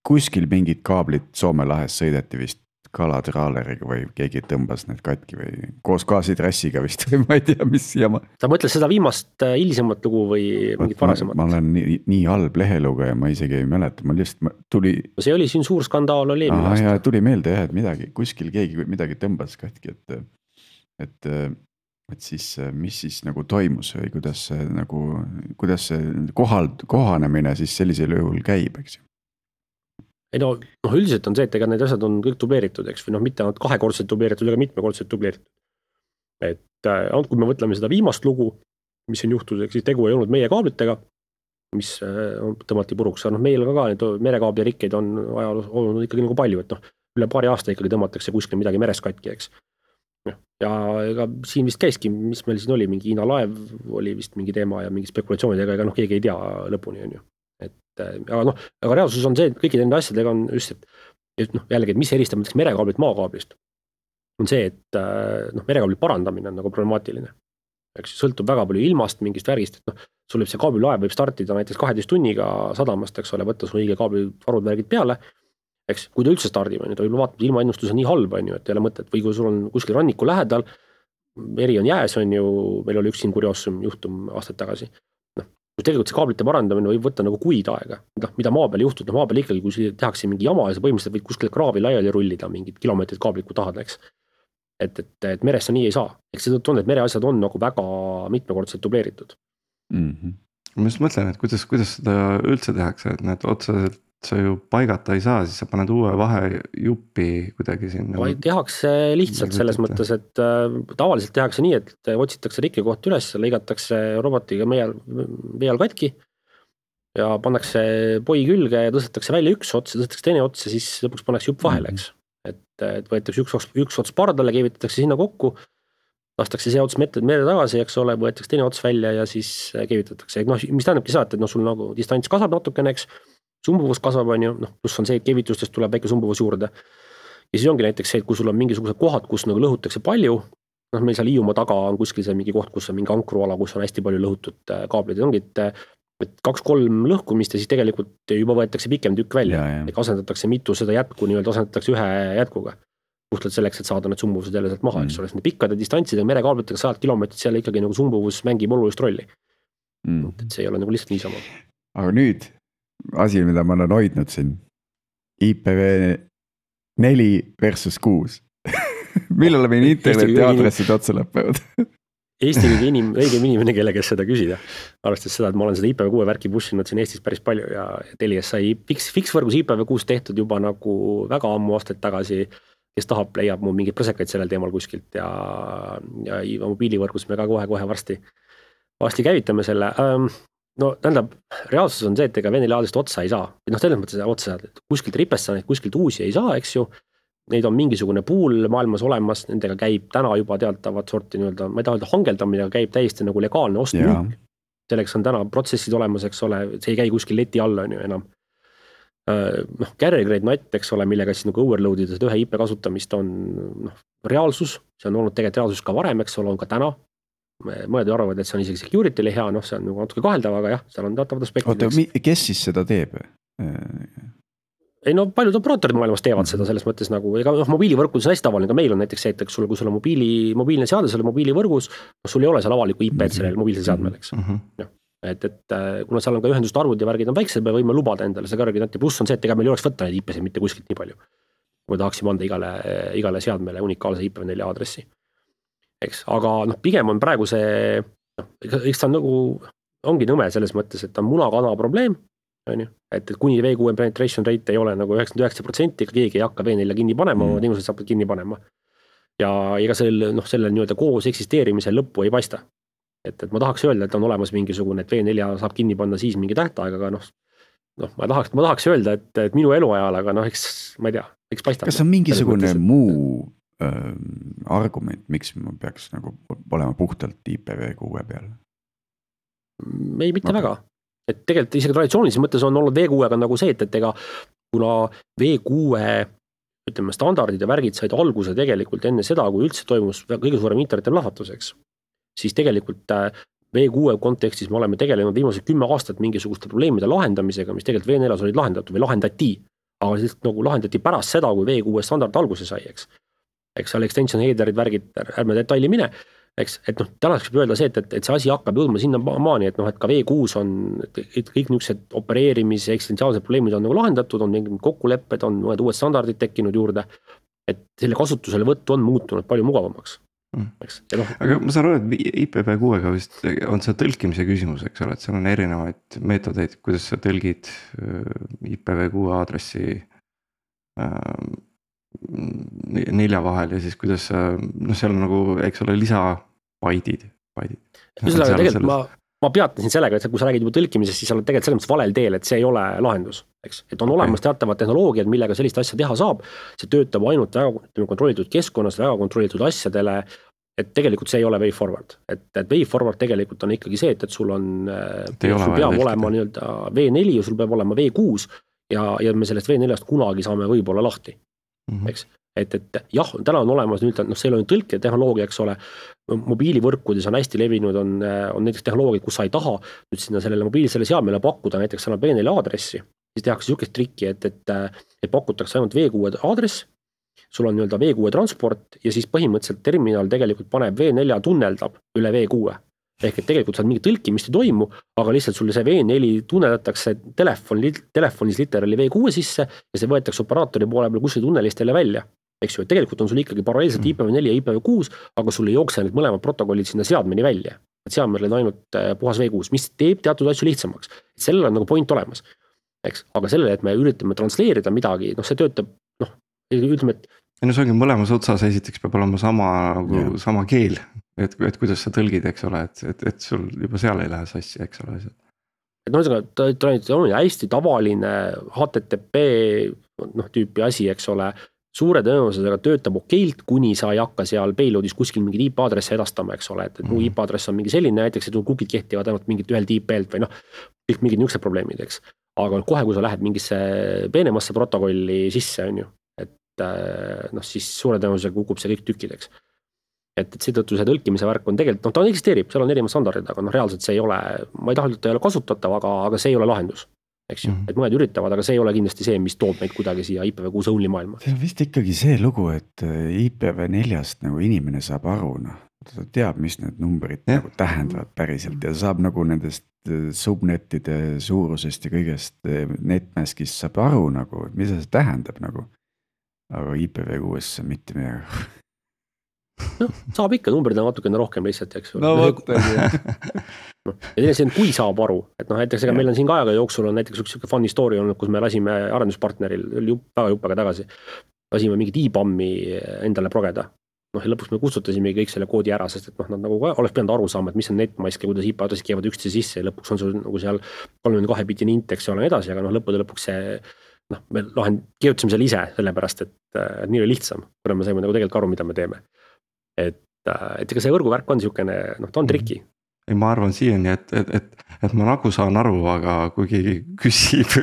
kuskil mingid kaablid Soome lahes sõideti vist kalatraaleriga või keegi tõmbas need katki või koos gaasitrassiga vist või ma ei tea, mis jama. Sa mõtled seda viimast hilisemat lugu või mingit varasemat? Ma, ma olen nii, nii halb lehelugeja, ma isegi ei mäleta, ma lihtsalt tuli. See oli siin suur skandaal oli eelmine aasta. Tuli meelde jah, et midagi, kuskil keegi midagi tõmbas katki, et, et, et siis, mis siis nagu toimus või kuidas see nagu, kuidas see kohal, kohanemine siis sellisel juhul käib, eks ju. Ei no, noh, üldiselt on see, et ega need asjad on kõik dubleeritud, eks, või noh, mitte ainult kahekordselt dubleeritud, ega mitmekordselt dubleeritud. Et äh, kui me võtleme seda viimast lugu, mis on juhtuseks, siis tegu ei olnud meie kaablitega, mis äh, tõmmati puruks, aga noh, meil ka ka need merekaabli rikkeid on ajaloos olnud ikkagi nagu palju, et noh, üle paari aasta ikkagi tõmmatakse kuskil midagi meres katki, eks. Ja ega siin vist käiski, mis meil siin oli, mingi Hiina laev oli vist mingi teema ja mingi spekulatsioonidega, ega noh, keegi ei tea lõpuni, on ju. Et aga noh, aga reaalsus on see, et kõikide nende asjadega on just, et, et noh, jällegi, et mis eristab mõtleks merekaablit maakaablist, on see, et noh, merekaabli parandamine on nagu problemaatiline. Eks sõltub väga palju ilmast, mingist värgist, et noh, sul võib see kaablilaev võib startida näiteks kaheteist tunniga sadamast, eks ole, võtta sul õige kaabli varud värgid peale, eks, kui ta üldse stardib, on ju, ta võib vaatama, ilmaennustus on nii halb, on ju, et ei ole mõtet, või kui sul on kuskil ranniku lähedal, meri on jääs, on ju, meil oli üks siin kurioossum juhtum aastaid tagasi. Tegelikult see kaablite parandamine võib võtta nagu kuid aega, mida maa peal juhtub, no maa peal ikkagi, kui tehakse mingi jama ja sa põhimõtteliselt võid kuskil kraavi laiali rullida mingid kilomeetrid kaablit, kui tahad, eks. Et, et, et meres sa nii ei saa. Eks see on, et mereasjad on nagu väga mitmekordselt dubleeritud. Mm-hmm. Ma just mõtlen, et kuidas, kuidas seda üldse tehakse, et need otseselt sa ju paigata ei saa, siis sa paned uue vahejuppi kuidagi sinna. Vaid tehakse lihtsalt selles mõttes, et äh, tavaliselt tehakse nii, et otsitakse rikke koht üles, lõigatakse robotiga meie veal katki ja pannakse poi külge ja tõstetakse välja üks ots ja tõstetakse teine ots ja siis lõpuks pannakse jupp vahele, eks. Et, et võetakse üks, üks ots pardale, keevitatakse sinna kokku, lastakse see ots mere tagasi, eks ole, võetakse teine ots välja ja siis keevitatakse. No, mis tähendabki seda, et no sul nagu distants kasvab natukene, eks. Sumbuvus kasvab, on ju, noh, pluss on see, et keevitustest tuleb väike sumbuvus juurde. Ja siis ongi näiteks see, et kui sul on mingisugused kohad, kus nagu lõhutakse palju, noh, meil seal Hiiumaa taga on kuskil see mingi koht, kus on mingi ankruala, kus on hästi palju lõhutud kaablid, ongi, et, et kaks-kolm lõhkumist ja siis tegelikult juba võetakse pikem tükk välja, et asendatakse mitu seda jätku, nii-öelda asendatakse ühe jätkuga. Puhtalt selleks, et saada need sumbuvused jälle sealt maha, eks ole, mm. pikkade distantsidega merekaablitega sajad kilomeetrid, seal ikkagi nagu sumbuvus mängib olulist rolli. Mm. Et see ei ole nagu lihtsalt niisama. Aga nüüd asi, mida ma olen hoidnud siin, I P V neli versus kuus. Millal meil interneti aadressid otsa lõpevad? Eesti kõige inim, õigem inimene, kelle kes seda küsida. Arvestades seda, et ma olen seda I P V kuue värki pussinud siin Eestis päris palju ja Telias sai fix, fix võrgus I P V kuus tehtud juba nagu väga ammu aastaid tagasi, kes tahab, leiab mu mingid presekaid sellel teemal kuskilt ja, ja mobiilivõrgus me ka kohe-kohe varsti, varsti käivitame selle. Ähm, no tähendab, reaalsus on see, et ega V neli aadrest otsa ei saa. Noh, selles mõttes otsa, et kuskilt ripest sa neid kuskilt uusi ei saa, eks ju. Neid on mingisugune pool maailmas olemas, nendega käib täna juba teatavat sorti nii-öelda, ma ei taha öelda hangeldamine, aga käib täiesti nagu legaalne ostmüük. Selleks on täna protsessid olemas, eks ole, see ei käi kuskil leti alla on ju enam. Noh, carrier grade N A T, eks ole, millega siis nagu overloadida seda ühe I P kasutamist on noh, reaalsus, see on olnud tegelikult reaalsus ka varem, eks ole, on ka täna. Mõned arvavad, et see on isegi security'le hea, noh, see on nagu natuke kaheldav, aga jah, seal on teatavad aspektid. Oota, kes siis seda teeb? Ei no paljud operaatorid maailmas teevad seda selles mõttes nagu, ega noh, mobiilivõrkus on hästi tavaline, ka meil on näiteks see, et sul, kui sul on mobiili, mobiilne seade, sul on mobiilivõrgus, no sul ei ole seal avaliku I P-d sellel mobiilsel seadmel, eks. Ja, et, et kuna seal on ka ühendust arvud ja värgid on väiksed, me võime lubada endale see kõrged, pluss on see, et ega meil ei oleks võtta neid I P-sid mitte kuskilt nii palju, kui tahaksime anda igale, igale seadmele unikaalse I P V neli aadressi. Eks, aga noh, pigem on praegu see, noh, eks ta on nagu, ongi nõme selles mõttes, et ta on munakana probleem, on ju, et, et kuni V kuue penetration rate ei ole nagu üheksakümmend üheksa protsenti, ega keegi ei hakka V neljale kinni panema, mm. teenused saab kinni panema. Ja ega sellel, noh, sellel nii-öelda koos eksisteerimisel lõppu ei paista. Et, et ma tahaks öelda, et on olemas mingisugune, et V neli saab kinni panna siis mingi tähtaeg, aga noh, noh ma, tahaks, ma tahaks öelda, et, et minu eluajal, aga noh, eks ma ei tea, eks paistab. Kas on mingisugune mõttes, muu äh, argument, miks ma peaks nagu olema puhtalt I P V kuue peal? Ei, mitte okay. väga. et tegelikult isegi traditsioonilises mõttes on olnud V kuuega nagu see, et, et ega kuna V kuue ütleme, standardid ja värgid said alguse tegelikult enne seda, kui üldse toimus kõige suurem interneti plahvatuseks, siis tegelikult V kuue kontekstis me oleme tegelenud viimased kümme aastat mingisuguste probleemide lahendamisega, mis tegelikult V neljas olid lahendatud või lahendati, aga siis nagu lahendati pärast seda, kui V kuue standard alguse sai, eks. Eks seal extension headerid, värgid, ärme detaili mine, eks, et noh, tänaseks võib öelda see, et, et, et see asi hakkab jõudma sinna maani, et noh, et ka V kuus on et kõik niisugused opereerimise eksistentsiaalsed probleemid on nagu lahendatud, on mingid kokkulepped, on mõned uued standardid tekkinud juurde, et selle kasutusele võttu on muutunud palju mugavamaks. Eks, ja noh, aga ma saan aru, et I P v kuuega vist on see tõlkimise küsimus, eks ole, et seal on erinevaid meetodeid, kuidas sa tõlgid I P v kuue aadressi äh, nelja vahel ja siis kuidas sa, noh seal on nagu, eks ole, lisa baidid, baidid. Üslega tegelikult ma, ma peatasin sellega, et kui sa räägid juba tõlkimisest, siis sa oled tegelikult selles mõttes valel teel, et see ei ole lahendus, eks. Et on olemas teatavad tehnoloogiad, millega sellist asja teha saab, see töötab ainult väga kontrollitud keskkonnas, väga kontrollitud asjadele, et tegelikult see ei ole way forward, et, et way forward tegelikult on ikkagi see, et, et sul on, sul peab olema nii-öelda V neli ja sul peab olema V kuus ja, ja me sellest V neljast kunagi saame võib-olla lahti. Mm-hmm. Eks, et, et jah, täna on olemas nüüd, noh, see ei ole tõlke tehnoloogia, eks ole, mobiilivõrkudes on hästi levinud, on, on näiteks tehnoloogiad, kus sa ei taha nüüd sinna sellele mobiilsele seadmele pakkuda näiteks selle V neli aadressi, siis tehakse niisugust trikki, et, et, et pakutakse ainult V kuue aadress, sul on nii-öelda V kuue transport ja siis põhimõtteliselt terminal tegelikult paneb V neli tunneldab üle V kuue. Ehk et tegelikult seal mingi tõlkimist ei toimu, aga lihtsalt sulle see V neli tunneldatakse telefon, telefonis literaali V kuue sisse ja see võetakse operaatori poole peal kuskil tunnelistele välja. Eks ju, et tegelikult on sul ikkagi paralleelselt I P v neli ja I P v kuus, aga sul ei jookse need mõlemad protokollid sinna seadmeni välja. Et seadmel on ainult puhas V kuus, mis teeb teatud asju lihtsamaks. Sellel on nagu point olemas. Eks? Aga sellele, et me üritame transleerida midagi, noh see töötab, noh, ütleme, et ja no see ongi mõlemas otsas, esiteks peab olema sama, nagu, sama keel, et, et kuidas sa tõlgid, eks ole, et, et, et sul juba seal ei lähe sassi, eks ole. Et no ta, ta on hästi tavaline H T T P noh, tüüpi asi, eks ole, suure tõenäosusega töötab okeilt, kuni sa ei hakka seal payloadis kuskil mingid I P aadresse edastama, eks ole, et, et mm-hmm. I P aadress on mingi selline, näiteks, et kukid kehtivad ainult mingit ühelt I P-lt või noh, kõik mingid niisugused probleemid, eks. Aga kohe, kui sa lähed mingisse peenemasse protokolli sisse, on ju, noh siis suure tõenäosusega kukub see kõik tükkideks. Et, et seetõttu see tõlkimise värk on tegelikult, noh ta eksisteerib, seal on erinevad standardid, aga noh reaalselt see ei ole, ma ei taha, et ta ei ole kasutatav, aga, aga see ei ole lahendus, eks ju, mm-hmm. et mõned üritavad, aga see ei ole kindlasti see, mis toob meid kuidagi siia I P v kuus only maailma. See on vist ikkagi see lugu, et I P v neljast nagu inimene saab aru, noh, ta teab, mis need numbrid ja. Nagu tähendavad päriselt ja saab nagu nendest subnettide suurusest ja kõigest netmaskist saab aru nagu, mis see tähendab nagu. Aga I P v kuues mitte midagi. noh, saab ikka, numbrid on natukene rohkem lihtsalt, eks. No võt, no, ja see on, kui saab aru, et noh, näiteks ega meil on siin ka ajaga jooksul on näiteks üks funny story olnud, kus me lasime arenduspartneril jupp, väga juppega tagasi, lasime mingit I B A M-i endale progeda. Noh, ja lõpuks me kustutasime kõik selle koodi ära, sest et noh, nad nagu oleks pidanud aru saama, et mis on netmask ja kuidas I P aadressid käivad üksteise sisse ja lõpuks on sul nagu seal kolmkümmend kahe bitine int, eks ole, edasi, aga noh, lõppude lõpuks see noh, me lahend, kirjutasime selle ise sellepärast, et, et nii oli lihtsam, kuna me saime nagu tegelikult aru, mida me teeme. Et, et ega see võrguvärk on niisugune, noh, ta on triki. Ei, ma arvan siiani, et, et, et, et ma nagu saan aru, aga kui keegi küsib,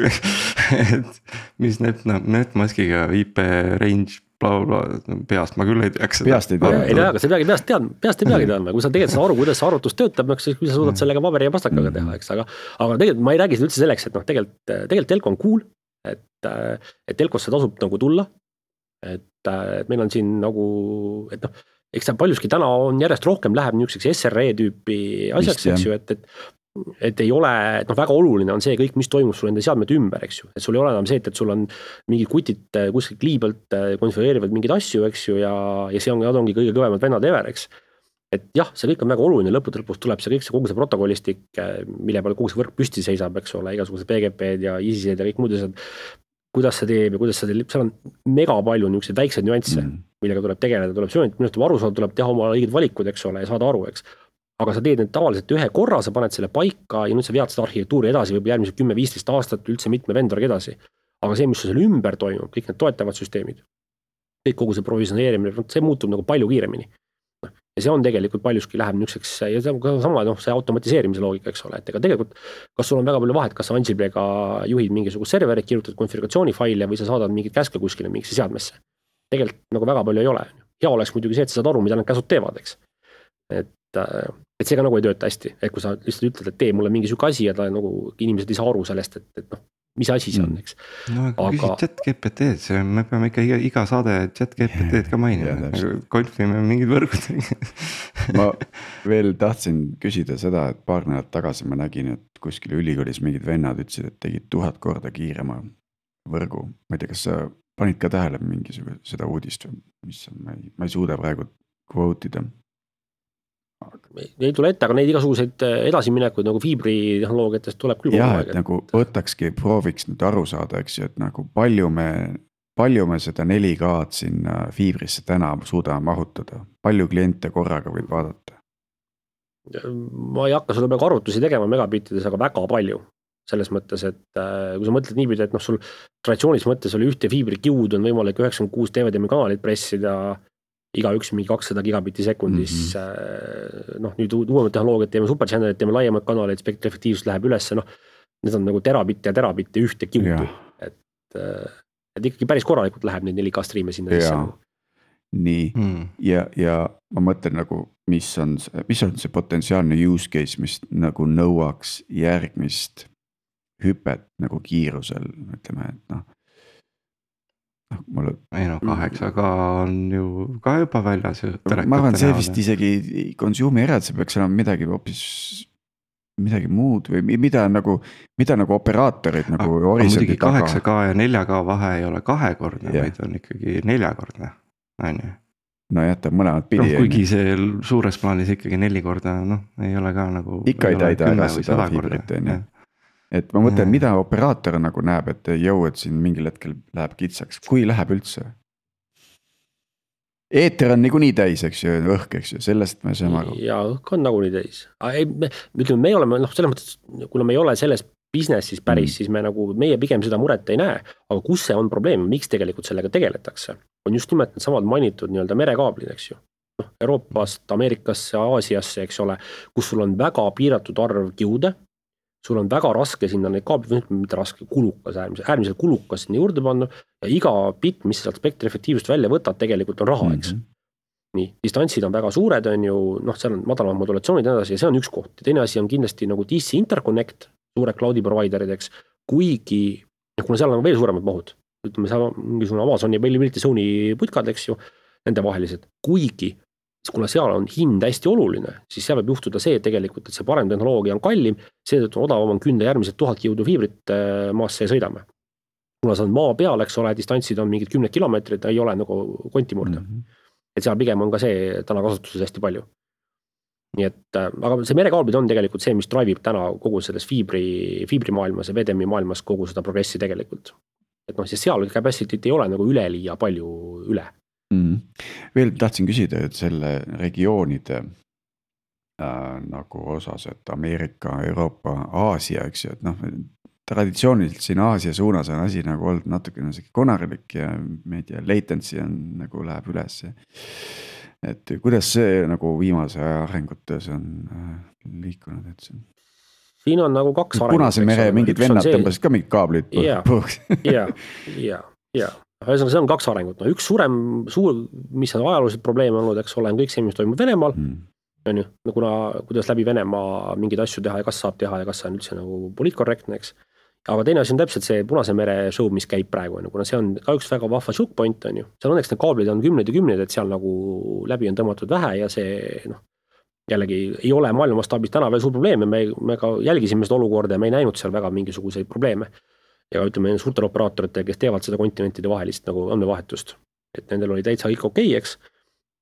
et mis net, netmaskiga I P range bla, bla, peast ma küll ei teaks. Peast ei tea. Ei tea, aga sa peagi peast teadma, peast ei peagi teadma, kui sa tegelikult aru, kuidas see arvutus töötab, siis kui sa suudad sellega paberi ja pastakaga teha, eks, aga, aga tegelikult ma ei räägi seda üldse selleks, et noh, tegelikult, tegelikult telko on cool, et, et telkosse tasub nagu tulla, et, et meil on siin nagu, et noh, eks ta paljuski täna on järjest rohkem läheb niisuguseks S R E tüüpi asjaks, eks ju, et, et, et ei ole, et noh, väga oluline on see kõik, mis toimub sul enda seadmete ümber, eks ju, et sul ei ole enam see, et, et sul on mingid kutid kuskil kliibelt konfigureerivad mingeid asju, eks ju, ja, ja see on, ongi kõige kõvemad vennad ever, eks. Et jah, see kõik on väga oluline, lõppude lõpus tuleb see kõik see kogu see protokollistik, mille peale kogu see võrk püsti seisab, eks ole, igasugused P G P-d ja ISIS-ed ja kõik muud asjad, kuidas see teeb ja kuidas see teeb, seal on mega palju niisuguseid väikseid nüansse, mm. millega tuleb tegeleda, tuleb söönud, minu aru saada, tuleb teha oma õiged valikud, eks ole, ja saada aru, eks. Aga sa teed need tavaliselt ühe korra, sa paned selle paika ja nüüd sa vead seda arhitektuuri edasi, võib järgmised kümme viisteist aastat üldse mitme vendoriga edasi. Aga see, mis selle ümber toimub, kõik need toetavad süsteemid, kõik kogu see provisioneerimine, see muutub nagu palju kiiremini. ja see on tegelikult paljuski läheb niiseks ja see on ka sama noh, see automatiseerimise loogika, eks ole, et ega tegelikult kas sul on väga palju vahet, kas sa Ansiblega juhid mingisugust serverit, kirjutad konfiguratsioonifaile või sa saadad mingit käske kuskile mingisse seadmesse. Tegelikult nagu väga palju ei ole. Hea oleks muidugi see, et sa saad aru, mida need käsud teevad, eks. Et, et see ka nagu ei tööta hästi, et kui sa lihtsalt ütled, et tee mulle mingi süke asi ja ta nagu inimesed ei saa aru sellest, et, et noh, mis asi see on, eks. No aga, aga... küsid chat G P T-d, see me peame ikka iga, iga saade chat G P T-d ka mainima, konfime mingid võrgud. Ma veel tahtsin küsida seda, et paar nädalat tagasi ma nägin, et kuskil ülikoolis mingid vennad ütlesid, et tegid tuhat korda kiirema võrgu. Ma ei tea, kas sa panid ka tähele mingisugune seda uudist või mis on, ma ei, ma ei suuda praegu quote ida. Ei tule ette, aga neid igasuguseid edasiminekuid nagu fiibri tehnoloogiatest tuleb küll. Jah, et nagu võtakski, prooviks nüüd aru saada, eks ju, et nagu palju me, palju me seda neli K-d sinna fiibrisse täna suudame mahutada, palju kliente korraga võib vaadata? Ma ei hakka sulle peaaegu arvutusi tegema megabittides, aga väga palju. Selles mõttes, et kui sa mõtled niipidi, et noh, sul traditsioonis mõttes oli ühte fiibrikiud on võimalik üheksakümmend kuus D V D kanalit pressida iga üks mingi kakssada gigabitti sekundis, mm-hmm. noh nüüd uuemad tehnoloogiad, teeme superchannelid, teeme laiemad kanaleid, spektri efektiivsus läheb ülesse, noh need on nagu terabitti ja terabitti ühte kiudu, et, et ikkagi päris korralikult läheb neid neli K striime sinna sisse. Nii, mm. ja, ja ma mõtlen nagu, mis on, mis on see potentsiaalne use case, mis nagu nõuaks järgmist hüpet nagu kiirusel, ütleme, et noh, noh, mulle... ei no kaheksa K on ju ka juba väljas. Ma arvan, see vist isegi consumer erad, see peaks olema midagi hoopis midagi muud või mida nagu, mida nagu operaatorid nagu aga muidugi kaheksa K ja nelja K vahe ei ole kahekordne, yeah. vaid on ikkagi neljakordne, on ju. No jätab mõlemad pidi. No, kuigi see suures plaanis ikkagi neli korda, noh, ei ole ka nagu ikka ei täida ära seda fiibrit, on ju. Et ma mõtlen, mida operaator nagu näeb, et jõu, et siin mingil hetkel läheb kitsaks, kui läheb üldse. Eeter on niikuinii täis, eks ju, õhk, eks ju, sellest me saame aru. Ja õhk on nagunii täis. Me, ütleme, me oleme, noh, selles mõttes, kuna me ei ole selles businessis päris, mm. siis me nagu, meie pigem seda muret ei näe, aga kus see on probleem, miks tegelikult sellega tegeletakse, on just nimelt need samad mainitud nii-öelda merekaablid, eks ju. Noh, Euroopast, Ameerikasse, Aasiasse, eks ole, kus sul on väga piiratud arv kiude, sul on väga raske sinna neid kaablid, mitte raske, kulukas, äärmiselt, äärmiselt kulukas sinna juurde panna ja iga bit, mis sealt spektri efektiivsust välja võtad, tegelikult on raha, eks. Mm-hmm. Nii, distantsid on väga suured, on ju, noh, seal on madalamad modulatsioonid ja edasi ja see on üks koht. Ja teine asi on kindlasti nagu D C Interconnect, suured cloudi providerid, eks, kuigi, kuna seal on veel suuremad mahud, ütleme, seal on mingisugune Amazoni ja Availability Zone'i putkad, eks ju, nende vahelised, kuigi kuna seal on hind hästi oluline, siis seal võib juhtuda see tegelikult, et see parem tehnoloogia on kallim, seetõttu odavam on künda järgmised tuhat kiudu fiibrit maasse ja sõidame. Kuna see on maa peal, eks ole, distantsid on mingid kümned kilomeetrid, ei ole nagu konti murda. Mm-hmm. Et seal pigem on ka see täna kasutuses hästi palju. Nii et, aga see merekaablid on tegelikult see, mis drivib täna kogu selles fiibri, fiibri maailmas ja V D M-i maailmas kogu seda progressi tegelikult. Et noh, siis seal capacity't ei ole nagu üleliia palju üle. Mm. Veel tahtsin küsida, et selle regioonide äh, nagu osas, et Ameerika, Euroopa, Aasia, eks ju, et noh, traditsiooniliselt siin Aasia suunas on asi nagu olnud natuke konarilik ja ma ei tea, latency on nagu läheb üles. Et kuidas see nagu viimase aja arengutes on äh, liikunud, et see on? Siin on nagu kaks arengut. Punase mere mingid vennad tõmbasid ka mingid kaablid. Ja, ja, ja, ja. Ühesõnaga, see on kaks arengut. No, üks suurem, suur, mis on ajalooliselt probleem olnud, eks ole, on kõik see, mis toimub Venemaal. Mm. On ju, no, kuna, kuidas läbi Venemaa mingeid asju teha ja kas saab teha ja kas see on üldse nagu poliitkorrektne, eks. Aga teine asi on täpselt see Punase mere show, mis käib praegu, kuna see on ka üks väga vahva choke point, on ju. Seal õnneks need kaablid on kümneid ja kümneid, et seal nagu läbi on tõmmatud vähe ja see, noh, jällegi ei ole maailmastaabis täna veel suur probleem ja me, me ka jälgisime seda olukorda ja me ei näinud seal väga mingisuguseid probleeme. Ja ütleme suurtel operaatoritel, kes teevad seda kontinentide vahelist nagu andmevahetust. Et nendel oli täitsa kõik okei, eks.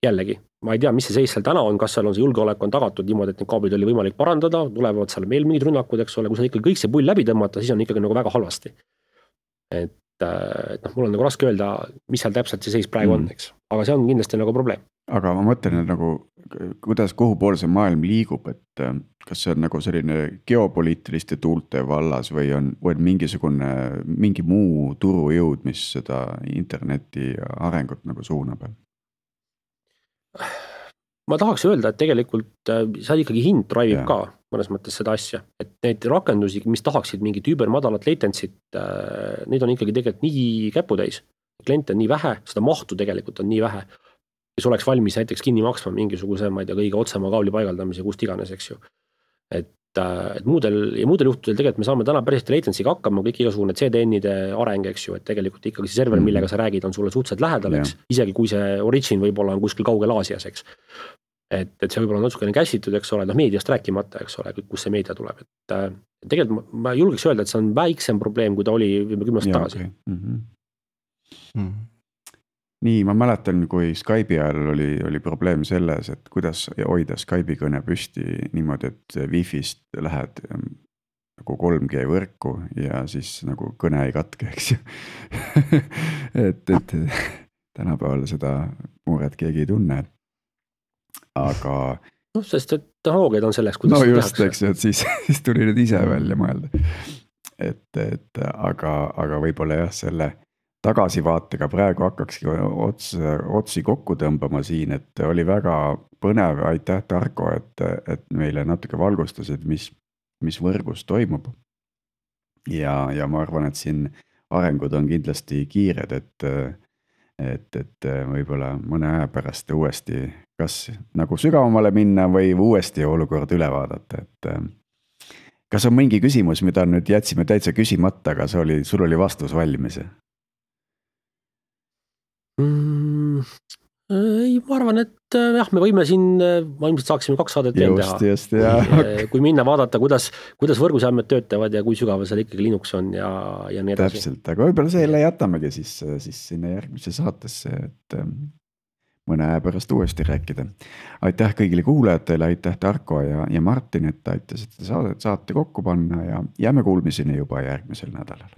Jällegi, ma ei tea, mis see seis seal täna on, kas seal on see julgeolek on tagatud niimoodi, et need kaablid oli võimalik parandada, tulevad seal veel mingid rünnakud, eks ole, kui sa ikka kõik see pull läbi tõmmata, siis on ikkagi nagu väga halvasti. Et, et noh, mul on nagu raske öelda, mis seal täpselt see seis praegu mm. on, eks. Aga see on kindlasti nagu probleem. Aga ma mõtlen, et nagu, kuidas kuhu poole see maailm liigub, et kas see on nagu selline geopoliitiliste tuulte vallas või on, või on mingisugune, mingi muu turujõud, mis seda interneti arengut nagu suunab? ma tahaks öelda, et tegelikult seal ikkagi hind drive'ib Jaa. ka mõnes mõttes seda asja, et need rakendusi, mis tahaksid mingit über madalat latency't, neid on ikkagi tegelikult nii käputäis. Kliente on nii vähe, seda mahtu tegelikult on nii vähe, kes oleks valmis näiteks kinni maksma mingisuguse, ma ei tea, kõige otsema kaabli paigaldamise, kust iganes, eks ju. Et, et muudel, ja muudel juhtudel tegelikult me saame täna päris latency'ga hakkama, kõik igasugune C D N-ide areng, eks ju, et tegelikult ikkagi see server, millega sa räägid, on sulle suhteliselt lähedal, eks, isegi kui see origin võib-olla on kuskil kaugel Aasias, eks. Et, et see võib-olla on natukene käsitud, eks ole, noh meediast rääkimata, eks ole, kus see meedia tuleb, et äh, tegelikult ma, ma julgeks öelda, et see on väiksem probleem, kui ta oli kümme aastat tagasi. Okay. Mm-hmm. Mm. Nii, ma mäletan, kui Skype'i ajal oli, oli probleem selles, et kuidas hoida Skype'i kõne püsti niimoodi, et Wi-Fi'st lähed nagu kolm G võrku ja siis nagu kõne ei katke, eks ju. et, et tänapäeval seda muret keegi ei tunne. Aga noh, sest et tehnoloogiad on selleks, kuidas no just, eks ju, et siis, siis tuli nüüd ise välja mõelda. Et, et aga, aga võib-olla jah, selle tagasivaatega praegu hakkakski ots, otsi kokku tõmbama siin, et oli väga põnev, aitäh Tarko, et, et meile natuke valgustasid, mis, mis võrgus toimub. Ja, ja ma arvan, et siin arengud on kindlasti kiired, et et, et võib-olla mõne aja pärast uuesti kas nagu sügavamale minna või uuesti olukord üle vaadata, et kas on mingi küsimus, mida nüüd jätsime täitsa küsimata, aga see oli, sul oli vastus valmis? Mm, ei, ma arvan, et jah, me võime siin, ma ilmselt saaksime kaks saadet veel teha. Just, just, ja. Kui minna vaadata, kuidas, kuidas võrguseandmed töötavad ja kui sügaval seal ikkagi Linux on ja, ja nii edasi. Täpselt, aga võib-olla selle jätamegi siis, siis sinna järgmise saatesse, et mõne aja pärast uuesti rääkida. Aitäh kõigile kuulajatele, aitäh Tarko ja, ja Martin, et aitasid saate, saate kokku panna ja jääme kuulmiseni juba järgmisel nädalal.